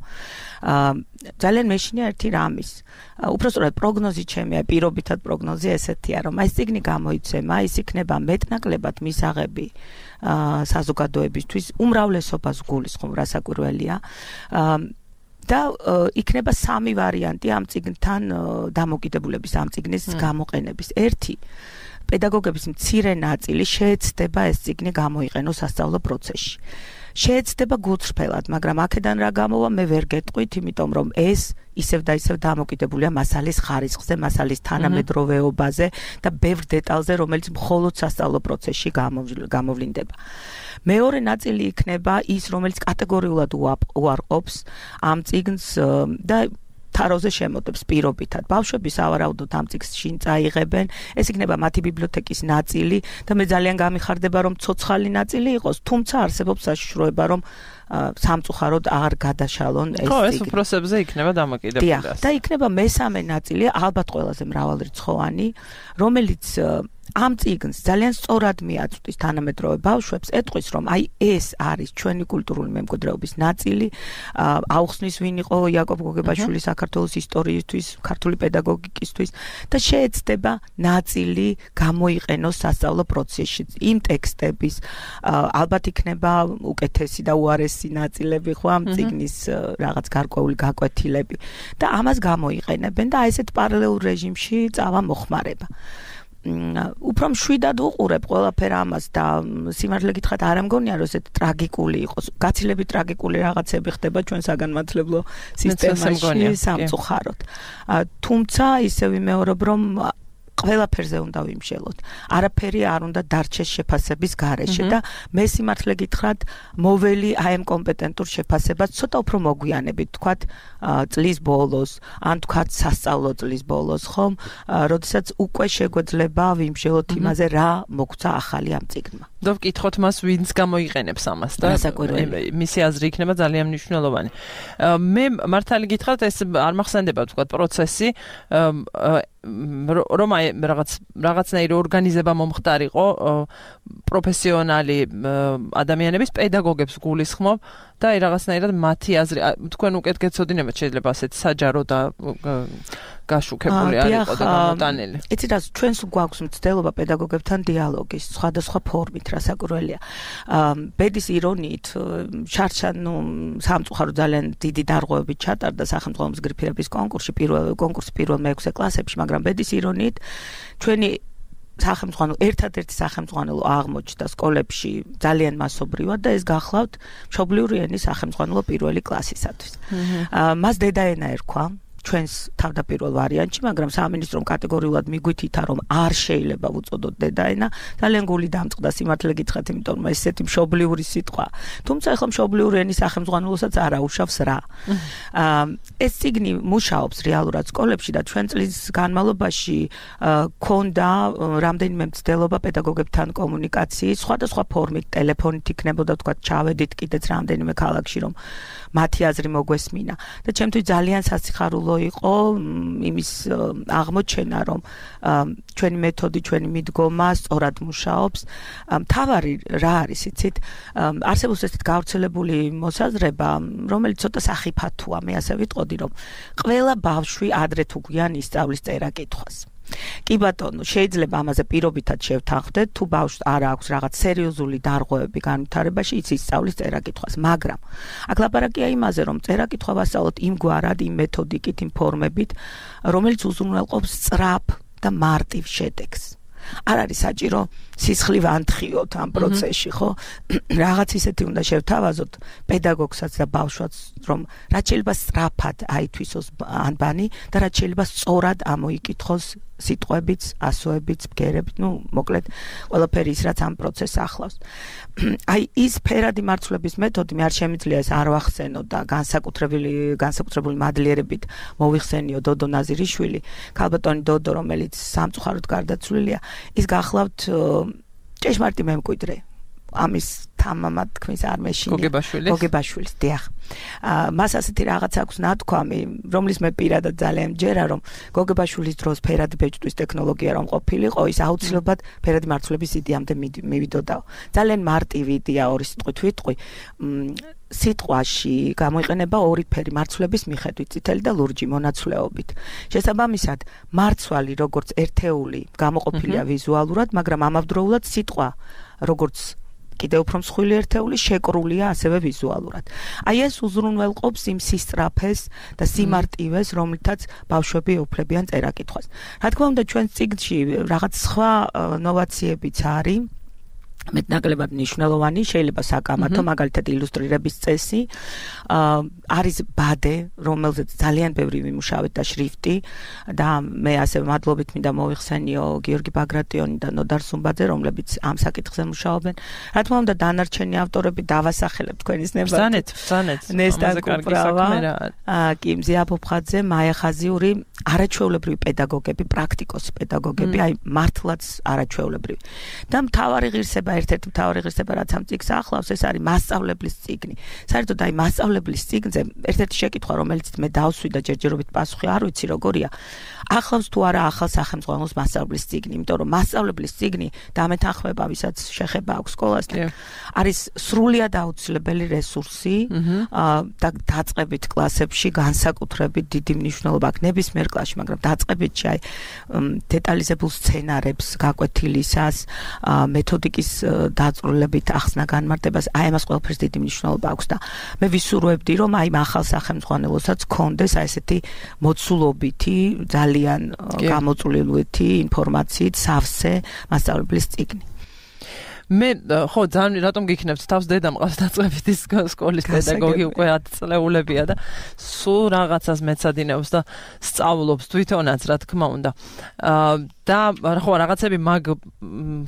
ძალიან მეშინია ერთი რამის. უпростоრად პროგნოზი ჩემი, აი პირობითად პროგნოზი ესეთია, რომ აი წიგნი გამოიცემა, ის იქნება მეტნაკლებად მისაღები საზოგადოებისთვის, უმრავლესობას გულისხმობ რასაკვირველია. და იქნება სამი ვარიანტი ამ წიგნთან დამოკიდებულების ამ წიგნის გამოყენების. ერთი პედაგოგების მცირე ნაწილი შეეცდება ეს წიგნი გამოიყენოს სასწავლო პროცესში. შეეცდება გულწრფელად, მაგრამ აქედან რა გამოვა მე ვერ გეტყვით, იმიტომ რომ ეს ისევ და ისევ დამოკიდებულია მასალის ხარისხზე, მასალის თანამედროვეობაზე და ბევრ დეტალზე, რომელიც მხოლოდ სასწავლო პროცესში გამოვლინდება. მეორე ნაწილი იქნება ის, რომელიც კატეგორიულად უარყოფს ამ წიგნს და თაროზე შემოდებს პირობითად. ბავშვები სავარაუდოდ ამ წიგნს შინ წაიღებენ, ეს იქნება მათი ბიბლიოთეკის ნაწილი და მე ძალიან გამიხარდება რომ ცოცხალი ნაწილი იყოს, თუმცა არსებობს საშიშროება რომ სამწუხაროდ არ გადაშალონ ეს. ხო, ეს უფროსებზე იქნება დამოკიდებული. და იქნება მესამე ნაწილი, ალბათ ყველაზე მრავალრიცხოვანი, რომელიც ამ წიგნს ძალიან სწორად მიაწვდის თანამედროვე ბავშვებს, ეტყვის რომ აი ეს არის ჩვენი კულტურული მემკვიდრეობის ნაწილი, აუხსნის ვინ იყო იაკობ გოგებაშვილი საქართველოს ისტორიისთვის, ქართული პედაგოგიკისთვის და შეეცდება ნაწილი გამოიყენოს სასწავლო პროცესში. იმ ტექსტების ალბათ იქნება უკეთესი და უარესი ნაწილები ხო ამ წიგნის რაღაც გარკვეული გაკვეთილები და ამას გამოიყენებენ და აი ესეთ პარალელურ რეჟიმში წავა მოხმარება. უფრო მშვიდად უყურებ ყველაფერ ამას და სიმართლე გითხრათ არ ამგონია რომ ესეთ ტრაგიკული იყოს. გაცილებით ტრაგიკული რაღაცები ხდება ჩვენ საგანმანათლებლო სისტემაში სამწუხაროდ. თუმცა ისე ვიმეორებ რომ ყველაფერზე უნდა ვიმშელოთ. არაფერი არ უნდა დარჩეს შეფასების გარეშე და მე სიმართლე გითხრათ მოველი აი ამ კომპეტენტურ შეფასებას ცოტა უფრო მოგვიანებით, თქვათ წლის ბოლოს, ან თქვათ სასწავლო წლის ბოლოს, ხომ, როდესაც უკვე შეგვეძლება ვიმშელოთ იმაზე რა მოგვცა ახალი ამ წიგნმა. და ვკითხოთ მას ვინც გამოიყენებს ამას და მისი აზრი იქნება ძალიან მნიშვნელოვანი. მე მართალი გითხრათ ეს არ მახსენდება თქვათ პროცესი რომ აი რაღაც რაღაცნაირი ორგანიზება მომხდარიყო პროფესიონალი ადამიანების პედაგოგებს გულისხმობ და აი რაღაცნაირად მათი აზრი თქვენ უკეთ გეცოდინებათ შეიძლება ასეთ საჯარო და გაშუქებული არ იყო და გამოტანილი. იცი რა ჩვენს გვაქვს მცდელობა პედაგოგებთან დიალოგის სხვადასხვა ფორმით რასაკვირველია. ბედის ირონიით შარშან ნუ სამწუხარო ძალიან დიდი დარღვევებით ჩატარდა სახელმწიფო მსგრიფირების კონკურსში პირველ კონკურსი პირველ მეექვსე კლასებში, მაგრამ ბედის ირონიით ჩვენი სახელმწიფო ერთადერთი სახელმწიფო აღმოჩნდა სკოლებში ძალიან მასობრივად და ეს გახლავთ მშობლიური ენის სახელმწიფო პირველი კლასისათვის. მას დედაენა ერქვა ჩვენს თავდაპირველ ვარიანტში, მაგრამ სამინისტრომ კატეგორიულად მიგვითითა რომ არ შეიძლება უწოდოთ დედაენა, ძალიან გული დამწყდა სიმართლე გითხრათ, იმიტომ რომ ესეთი მშობლიური სიტყვა. თუმცა ახლა მშობლიური ენის სახელმწიფოსაც არ აუშავს რა. ეს წიგნი მუშაობს რეალურად სკოლებში და ჩვენ წლის განმავლობაში ქონდა რამდენიმე მცდელობა პედაგოგებთან კომუნიკაციის, სხვადასხვა ფორმით, ტელეფონით იქნებოდა თქვა ჩავედით კიდეც რამდენიმე ქალაქში რომ მათი აზრი მოგვესმინა და ჩემთვის ძალიან სასიხარულო იყო იმის აღმოჩენა რომ ჩვენი მეთოდი, ჩვენი მიდგომა სწორად მუშაობს. მთავარი რა არის, იცით? არსებობს ესეთ გავრცელებული მოსაზრება, რომელიც ცოტა სახიფათოა, მე ასე ვიტყოდი, რომ ყველა ბავშვი ადრე თუ გვიან ისწავლის წერა-კითხვას. კი ბატონო, შეიძლება ამაზე პირობითად შევთანხმდეთ, თუ ბავშვს არ აქვს რაღაც სერიოზული დარღვევები განვითარებაში, იცი ისწავლის წერა-კითხვას, მაგრამ აქ ლაპარაკია იმაზე, რომ წერა-კითხვა ვასწავლოთ იმგვარად, იმ მეთოდიკით, იმ ფორმებით, რომელიც უზრუნველყოფს სწრაფ და მარტივ შედეგს. არ არის საჭირო სისხლი ვანთხიოთ ამ პროცესში, ხო? რაღაც ისეთი უნდა შევთავაზოთ პედაგოგსაც და ბავშვს, რომ რაც შეიძლება სწრაფად აითვისოს ანბანი და რაც შეიძლება სწორად ამოიკითხოს სიტყვებიც, ასოებიც, ბგერებით, ну, მოკლედ, ყველაფერი ის, რაც ამ პროცესს ახლავს. აი, ის ფერადი მარცვლების მეთოდი მე არ შემიძლია ეს არ ვახსენო და განსაკუთრებული განსაკუთრებული მადლიერებით მოვიხსენიო დოდო ნაზირიშვილი, ქალბატონი დოდო, რომელიც სამწუხაროდ გარდაცვლილია, ის გახლავთ ჭეშმარიტი მემკვიდრე. ამის თამამად თქმის არ მეშინია. გოგებაშვილის. გოგებაშვილის, დიახ. მას ასეთი რაღაც აქვს ნათქვამი, რომლის მე პირადად ძალიან მჯერა, რომ გოგებაშვილის დროს ფერადი ბეჭდვის ტექნოლოგია რომ ყოფილიყო, ის აუცილებლად ფერადი მარცვლების იდეამდე მივიდოდაო. ძალიან მარტივი იდეა ორი სიტყვით ვიტყვი. სიტყვაში გამოიყენება ორი ფერი მარცვლების მიხედვით, წითელი და ლურჯი მონაცვლეობით. შესაბამისად, მარცვალი როგორც ერთეული გამოყოფილია ვიზუალურად, მაგრამ ამავდროულად სიტყვა როგორც კიდევ უფრო მსხვილი ერთეული შეკრულია ასევე ვიზუალურად. აი ეს უზრუნველყოფს იმ სისწრაფეს და სიმარტივეს, რომლითაც ბავშვები ეუფლებიან წერა-კითხვას. რა თქმა უნდა, ჩვენ წიგნში რაღაც სხვა ნოვაციებიც არის. მეტნაკლებად მნიშვნელოვანი, შეიძლება საკამათო, მაგალითად ილუსტრირების წესი, არის ბადე, რომელზეც ძალიან ბევრი ვიმუშავეთ და შრიფტი და მე ასევე მადლობით მინდა მოვიხსენიო გიორგი ბაგრატიონი და ნოდარ სუმბაძე, რომლებიც ამ საკითხზე მუშაობენ. რა თქმა უნდა, დანარჩენი ავტორები დავასახელებ თქვენის ნებართვით. ბრძანეთ, ბრძანეთ. ნესტა კუპრავა, კიმზი აფოფხაძე, მაია ხაზიური, არაჩვეულებრივი პედაგოგები, პრაქტიკოსი პედაგოგები, აი მართლაც არაჩვეულებრივი. და მთავარი ღირსება, ერთ-ერთი მთავარი ღირსება, რაც ამ წიგნს ახლავს, ეს არის მასწავლებლის წიგნი. საერთოდ აი მასწავლებლის წიგნზე ერთ-ერთი შეკითხვა, რომელიც მე დავსვი და ჯერჯერობით პასუხი არ ვიცი როგორია, ახლავს თუ არა ახალ სახელმწიფოს მასწავლებლის წიგნი, იმიტომ რომ მასწავლებლის წიგნი დამეთანხმება, ვისაც შეხება აქვს სკოლასთან, არის სრულიად აუცილებელი რესურსი და დაწყებით კლასებში განსაკუთრებით დიდი მნიშვნელობა აქვს ნებისმიერ კლასში, მაგრამ დაწყებითში აი დეტალიზებულ სცენარებს გაკვეთილისას, მეთოდიკის დაწვრილებით ახსნა განმარტებას, აი ამას ყველაფერს დიდი მნიშვნელობა აქვს და მე ვისურვებდი, რომ აი ახალ სახელმწიფოსაც კონდეს აი ესეთი მოცულობითი, ძალიან გამოწვლილვითი ინფორმაციით სავსე მასწავლებლის წიგნი. მე ხო ძალიან რატომ გიქნებთ თავს დედა მყავს დაწყებითი სკოლის პედაგოგი უკვე ათი წლეულებია და სულ რაღაცას მეცადინეობს და სწავლობს თვითონაც რა თქმა უნდა. და ხო რაღაცები მაგ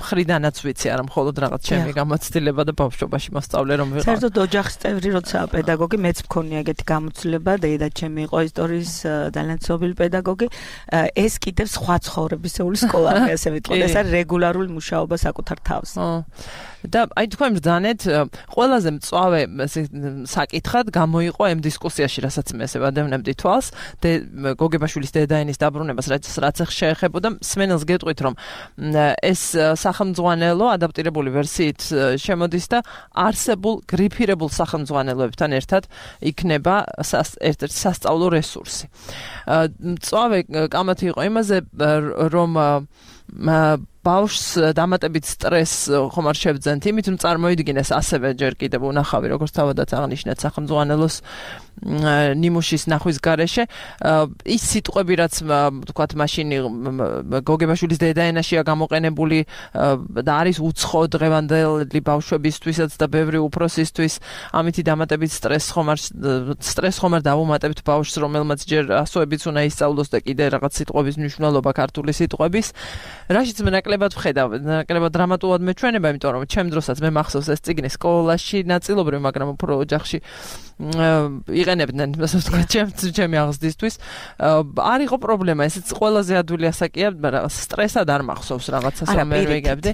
ხრიდანაც ვიცი არა მხოლოდ რაღაც ჩემი გამოცდილება და ბავშვობაში მოსწავლე რომ ვიყავ. საერთოდ ოჯახის წევრი როცა პედაგოგი მეც მქონია ეგეთი გამოცდილება, დედა ჩემი იყო ისტორიის ძალიან ცნობილი პედაგოგი. ეს კიდევ სხვა ცხოვრებისეული სკოლა ასე ვიტყოდი, ეს არის რეგულარული მუშაობა საკუთარ თავს. და აი თქვენ ბრძანეთ, ყველაზე მწვავე საკითხად გამოიყო ამ დისკუსიაში, რასაც მე ესე ვადევნებდი თვალს, გოგებაშვილის დედაენის დაბრუნებას, რაც რაც შეეხებოდა სმენელს გეტყვით, რომ ეს სახელმძღვანელო ადაპტირებული ვერსიით შემოდის და არსებულ გრიფირებულ სახელმძღვანელოებთან ერთად იქნება ერთ-ერთი სასწავლო რესურსი. მწვავე კამათი იყო იმაზე, რომ ბავშვს დამატებით სტრესს ხომ არ შევძენთ, იმით რომ წარმოიდგინეს ასევე ჯერ კიდევ უნახავი, როგორც თავადაც აღნიშნეთ სახელმძღვანელოს ნიმუშის ნახვის გარეშე, ის სიტყვები, რაც თქვათ მაშინ გოგებაშვილის დედაენაშია გამოყენებული და არის უცხო დღევანდელი ბავშვებისთვისაც და ბევრი უფროსისთვის, ამითი დამატებით სტრესს ხომ არ სტრესს ხომ არ დავუმატებთ ბავშვს, რომელმაც ჯერ ასოებიც უნდა ისწავლოს და კიდე რაღაც სიტყვების მნიშვნელობა ქართული სიტყვების, რაშიც მე ნაკლებად ვხედავ, ნაკლებად დრამატულად მეჩვენება, იმიტომ რომ ჩემ დროსაც მე მახსოვს ეს წიგნი სკოლაში ნაწილობრივ, მაგრამ უფრო ოჯახში იყენებდნენ, ასე ვთქვათ, ჩემი აღზრდისთვის. არ იყო პრობლემა, ესეც ყველაზე ადვილი ასაკია, მაგრამ სტრესად არ მახსოვს რაღაცას, რომ მე ვიგებდი.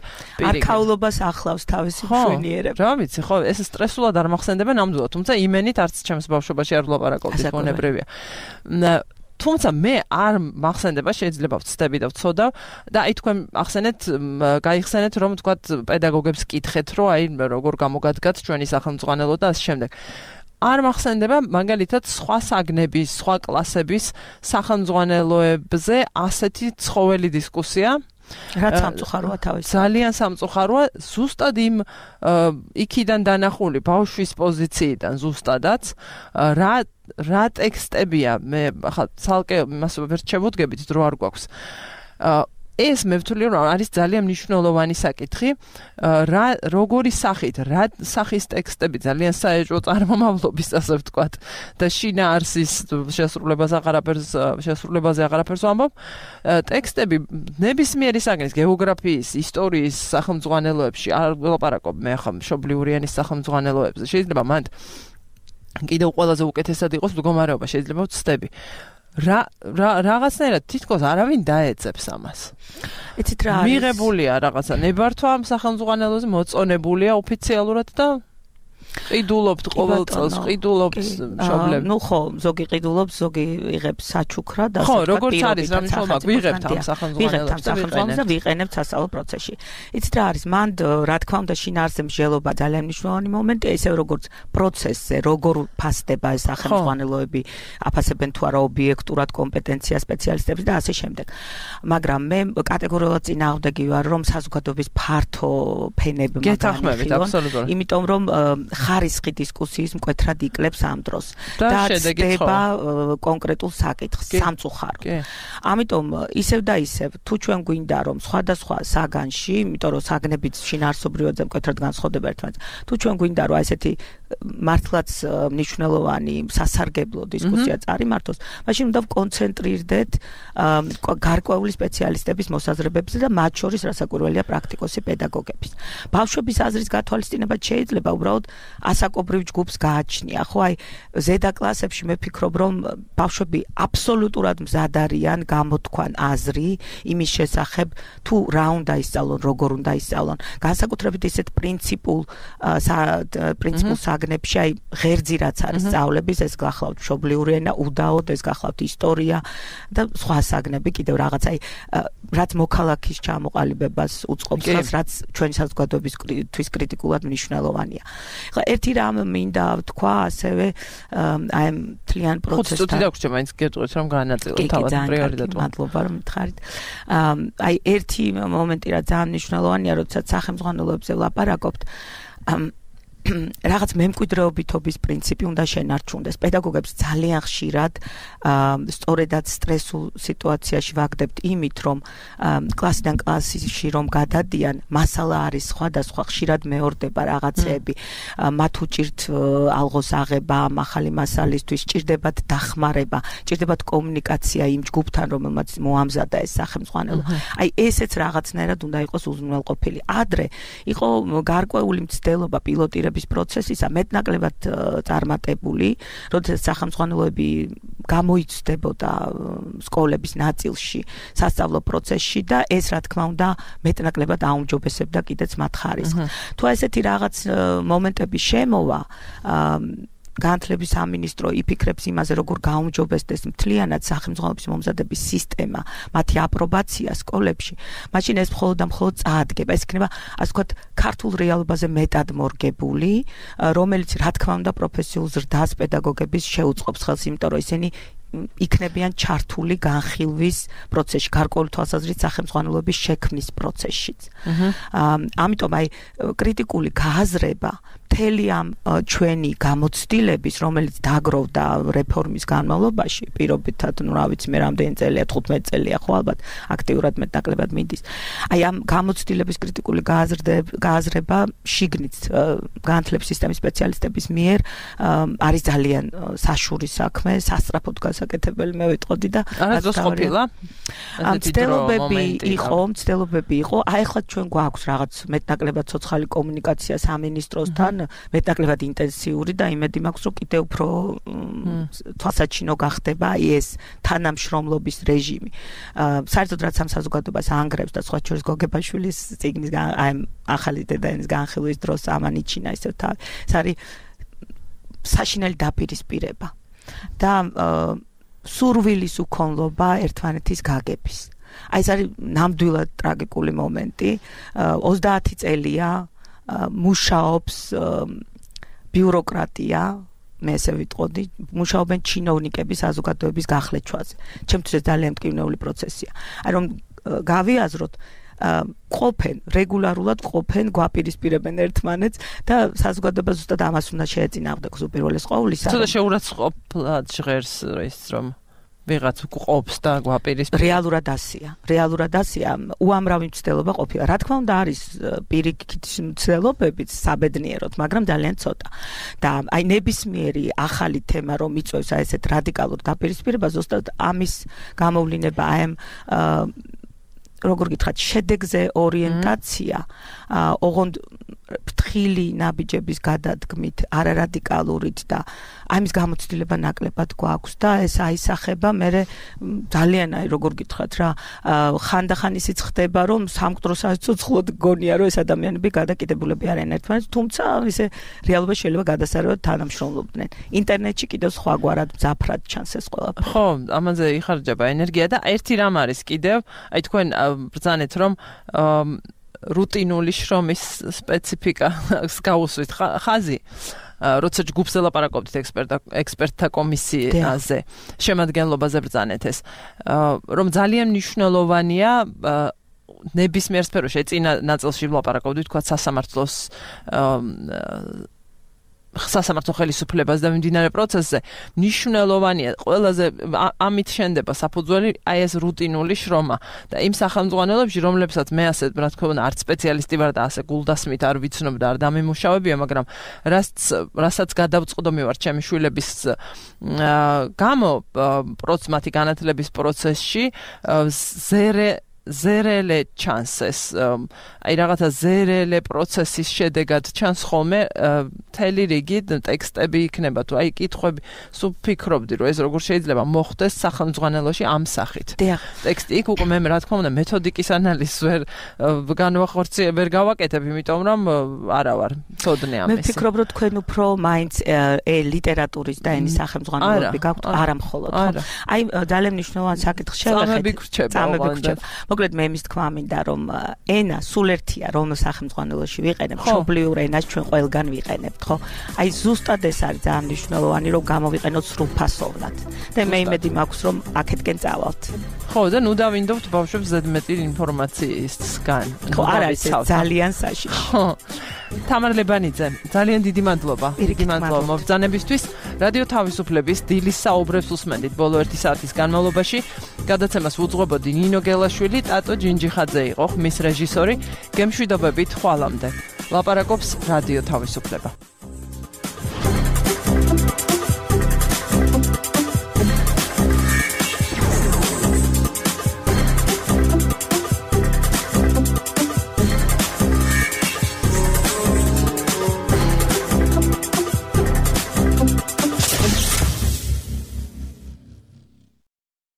არქაულობას ახლავს თავისი მშვენიერება. რა ვიცი, ხო, ეს სტრესულად არ მახსენდება ნამდვილად, თუმცა იმენით არც ჩემს ბავშვობაში არ ვლაპარაკობდი, ბუნებრივია. თუმცა მე არ მახსენდება, შეიძლება ვცდები და ვცოდავ და აი თქვენ ახსენეთ, გაიხსენეთ, რომ თქვათ პედაგოგებს კითხეთ, რომ აი როგორ გამოგადგათ ჩვენი სახელმძღვანელო და ამ შემდეგ. არ მახსენდება მაგალითად სხვა საგნების, სხვა კლასების სახელმძღვანელოებზე ასეთი ცხოველი დისკუსია. რაც სამწუხაროა თავის. ძალიან სამწუხაროა, ზუსტად იმ იქიდან დანახული ბავშვის პოზიციიდან ზუსტადაც რა რა ტექსტებია, მე ახლა ცალკე იმას ვერ შევუდგებით, დრო არ გვაქვს. ეს მე ვთვლი, რომ არის ძალიან მნიშვნელოვანი საკითხი, რა როგორი სახით, რა სახის ტექსტები ძალიან საეჭვო წარმომავლობის, ასე ვთქვათ, და შინაარსის შესრულებას აღარაფერს შესრულებაზე აღარაფერს ვამბობ. ტექსტები ნებისმიერი საგნის, გეოგრაფიის, ისტორიის სახელმძღვანელოებში, არ ვლაპარაკობ მე ახლა მშობლიური ენის სახელმძღვანელოებზე. შეიძლება მანდ კიდევ ყველაზე უკეთესად იყოს მდგომარეობა, შეიძლება ვცდები. რა რაღაცნაირად თითქოს არავინ დაეცებს ამას. იცით რა არის? მიღებულია რაღაცა ნებართვა ამ სახელმძღვანელოზე, მოწონებულია ოფიციალურად და ყიდულობთ ყოველ წელს, ყიდულობთ მშობლებს. ნუ ხო, ზოგი ყიდულობს, ზოგი იღებს საჩუქრა და ხო, როგორც არის რა მნიშვნელობა, ვიღებთ ამ სახელმძღვანელოებს და ვიყენებთ სასწავლო პროცესში. იცით რა არის? მანდ რა თქმა უნდა შინაარსზე მსჯელობა ძალიან მნიშვნელოვანი მომენტია, ისევ როგორც პროცესზე, როგორ ფასდება ეს სახელმძღვანელოები, აფასებენ თუ არა ობიექტურად კომპეტენცია სპეციალისტებს და ასე შემდეგ. მაგრამ მე კატეგორიულად წინააღმდეგი ვარ, რომ საზოგადოების ფართო ფენებმა გეთანხმებით აბსოლუტურად. იმიტომ რომ ხარისხი დისკუსიის მკვეთრად იკლებს ამ დროს და შედება კონკრეტულ საკითხს სამწუხარო. ამიტომ ისევ და ისევ თუ ჩვენ გვინდა რომ სხვადასხვა საგანში, იმიტომ რომ საგნებიც შინაარსობრივად მკვეთრად განსხვავდება ერთმანეთს, თუ ჩვენ გვინდა რომ ესეთი მართლაც მნიშვნელოვანი სასარგებლო დისკუსია წარიმართოს, მაშინ უნდა ვკონცენტრირდეთ გარკვეული სპეციალისტების მოსაზრებებზე და მათ შორის რასაკვირველია პრაქტიკოსი პედაგოგების. ბავშვების აზრის გათვალისწინებაც შეიძლება უბრალოდ ასაკობრივ ჯგუფს გააჩნია. ხო, აი ზედა კლასებში მე ვფიქრობ, რომ ბავშვები აბსოლუტურად მზად არიან გამოთქვან აზრი იმის შესახებ, თუ რა უნდა ისწავლონ, როგორ უნდა ისწავლონ. განსაკუთრებით ისეთ პრინციპულ პრინციპულ საგნებში, აი ღერძი რაც არის სწავლების, ეს გახლავთ მშობლიური ენა, უდაოდ ეს გახლავთ ისტორია და სხვა საგნები კიდევ რაღაც, აი რაც მოქალაქის ჩამოყალიბებას უწყობს, რაც ჩვენი საზოგადოებისთვის კრიტიკულად მნიშვნელოვანია. ხა ერთი რამ მინდა თქვა ასევე აი მთლიან პროცესთან. ხუთი წუთი დაგვრჩა მაინც გეტყვით რომ განაწილოთ თავად პრიორიტეტულად. მადლობა რომ მითხარით. აი ერთი მომენტი რა ძალიან მნიშვნელოვანია, როდესაც სახელმძღვანელოებზე ვლაპარაკობთ, რაღაც მემკვიდრეობითობის პრინციპი უნდა შენარჩუნდეს. პედაგოგებს ძალიან ხშირად სწორედად სტრესულ სიტუაციაში ვაგდებთ იმით, რომ კლასიდან კლასში რომ გადადიან, მასალა არის სხვადასხვა, ხშირად მეორდება რაღაცეები, მათ უჭირთ ალღოს აღება ამ ახალი მასალისთვის, ჭირდებათ დახმარება, ჭირდებათ კომუნიკაცია იმ ჯგუფთან, რომელმაც მოამზადა ეს სახელმძღვანელო. აი ესეც რაღაცნაირად უნდა იყოს უზრუნველყოფილი. ადრე იყო გარკვეული მცდელობა პილოტირების პროცესისა მეტნაკლებად წარმატებული, როდესაც სახელმძღვანელოები გამოიცდებოდა სკოლების ნაწილში, სასწავლო პროცესში და ეს რა თქმა უნდა მეტნაკლებად აუმჯობესებდა კიდეც მათ ხარისხს. თუ ესეთი რაღაც მომენტები შემოვა, განათლების სამინისტრო იფიქრებს იმაზე, როგორ გაუმჯობესდეს მთლიანად სახელმძღვანელობის მომზადების სისტემა, მათი აპრობაცია სკოლებში, მაშინ ეს მხოლოდ და მხოლოდ წაადგება. ეს იქნება, ასე ვთქვათ, ქართულ რეალობაზე მეტად მორგებული, რომელიც რა თქმა უნდა პროფესიულ ზრდას პედაგოგების შეუწყობს ხელს, იმიტომ რომ ისინი იქნებიან ჩართული განხილვის პროცესში, გარკვეული თვალსაზრისით სახელმძღვანელოების შექმნის პროცესშიც. ამიტომ აი კრიტიკული გააზრება მთელი ამ ჩვენი გამოცდილების, რომელიც დაგროვდა რეფორმის განმავლობაში, პირობითად, ну, რა ვიცი, მე რამდენი წელია, თხუთმეტი წელია, ხო, ალბათ აქტიურად მეტნაკლებად მიდის. აი ამ გამოცდილების კრიტიკული გააზრება შიგნით განათლების სისტემის სპეციალისტების მიერ არის ძალიან საშურის საქმე, სასწრაფოდ გასაკეთებელი მე ვიტყოდი და არასდროს ყოფილა. მცდელობები იყო, მცდელობები იყო. აი ახლა ჩვენ გვაქვს რაღაც მეტნაკლებად ცოცხალი კომუნიკაცია სამინისტროსთან, მეტნაკლებად ინტენსიური და იმედი მაქვს, რომ კიდევ უფრო თვალსაჩინო გახდება ეს თანამშრომლობის რეჟიმი. საერთოდ რაც ამ საზოგადოებას ანგრევს და სხვა შორის გოგებაშვილის წიგნის აი ახალი დედაენის განხილვის დროს ამანიჩინა ისევ თავი. ეს არის საშინელი დაპირისპირება და სურვილის უქონლობა ერთმანეთის გაგების. აი ეს არის ნამდვილად ტრაგიკული მომენტი. ოცდაათი წელია მუშაობს ბიუროკრატია, მე ესე ვიტყოდი, მუშაობენ ჩინოვნიკები საზოგადოების გახლეჩვაზე. ჩემთვის ძალიან მტკივნეული პროცესია. აი რომ გავიაზროთ, ყოფენ, რეგულარულად ყოფენ, გვაპირისპირებენ ერთმანეთს და საზოგადოება ზუსტად ამას უნდა შეეწინააღმდეგოს უპირველეს ყოვლისა. ცოტა შეურაცხყოფლად ჟღერს ის რომ ვიღაც ყოფს და გვაპირისპირებს. რეალურად ასია. რეალურად ასია. უამრავი მცდელობა ყოფილა. რა თქმა უნდა არის პირიქით მცდელობებიც საბედნიეროდ, მაგრამ ძალიან ცოტა. და აი ნებისმიერი ახალი თემა რომ იწვევს აი ესეთ რადიკალურ დაპირისპირებას, ზუსტად ამის გამოვლინება აი ამ როგორ გითხრათ, შედეგზე ორიენტაცია, ოღონდ ფრთხილი ნაბიჯების გადადგმით, არარადიკალურით და ამის გამოცდილება ნაკლებად გვაქვს და ეს აისახება მე ძალიან აი როგორ გითხრათ რა, ხანდახან ისიც ხდება, რომ სამკვდროს აცოცხლოდ გონია, რომ ეს ადამიანები გადაკიდებულები არიან ერთმანეთს, თუმცა ისე რეალობა შეიძლება გადასარევად თანამშრომლობდნენ. ინტერნეტში კიდევ სხვაგვარად მძაფრად ჩანს ეს ყველაფერი. ხო, ამაზე იხარჯება ენერგია და ერთი რამ არის კიდევ, აი თქვენ ბრძანეთ რომ რუტინული შრომის სპეციფიკა გაუსვით ხაზი, როცა ჯგუფზე ლაპარაკობთ ექსპერტთა კომისიაზე, შემადგენლობაზე ბრძანეთ ეს, რომ ძალიან მნიშვნელოვანია ნებისმიერ სფეროში, წინა ნაწილში ვლაპარაკობდით, თქვა სასამართლოს სასამართლო ხელისუფლებას და მიმდინარე პროცესზე მნიშვნელოვანია ყველაზე ამით შენდება საფუძველი აი ეს რუტინული შრომა და იმ სახელმძღვანელოებში რომლებსაც მე ასე რა თქმა უნდა არც სპეციალისტი ვარ და ასე გულდასმით არ ვიცნობ და არ დამემუშავებია მაგრამ რაც რასაც გადავწყვდომი ვარ ჩემი შვილების გამო პროცესმათი განათლების პროცესში ზერე ზერელე ჩანსეს აი რაღაცა ზერელე პროცესის შედეგად ჩანს ხოლმე მთელი რიგი ტექსტები იქნება თუ აი კითხვები სულ ფიქრობდი რომ ეს როგორ შეიძლება მოხდეს სახელმძღვანელოში ამ სახით ტექსტი იქ უკვე მე რა თქმა უნდა მეთოდიკის ანალიზს ვერ განვახორციელებ ვერ გავაკეთებ იმიტომ რომ არა ვარ ცოდნე ამის მე ფიქრობ რომ თქვენ უფრო მაინც ლიტერატურის და ენის სახელმძღვანელოები გაქვთ არა მხოლოდ ხო აი ძალიან მნიშვნელოვანი საკითხი შევეხეთ წამები მოკლედ მე იმის თქვა მინდა რომ ენა სულ ერთია რომ სახელმძღვანელოში ვიყენებ მშობლიურ ენას ჩვენ ყველგან ვიყენებთ ხო აი ზუსტად ეს არის ძალიან მნიშვნელოვანი რომ გამოვიყენოთ სრულფასოვნად და მე იმედი მაქვს რომ აქეთკენ წავალთ ხო და ნუ დავინდობთ ბავშვებს ზედმეტი ინფორმაციისგან ხო არ არის ძალიან საშიში ხო თამარ ლებანიძე ძალიან დიდი მადლობა დიდი მადლობა მობრძანებისთვის რადიო თავისუფლების დილის საუბრებს უსმენდით ბოლო ერთი საათის განმავლობაში გადაცემას უძღვებოდი ნინო გელაშვილი ტატო ჯინჯიხაძე იყო ხმის რეჟისორი გემშვიდობებით ხვალამდე ლაპარაკობს რადიო თავისუფლება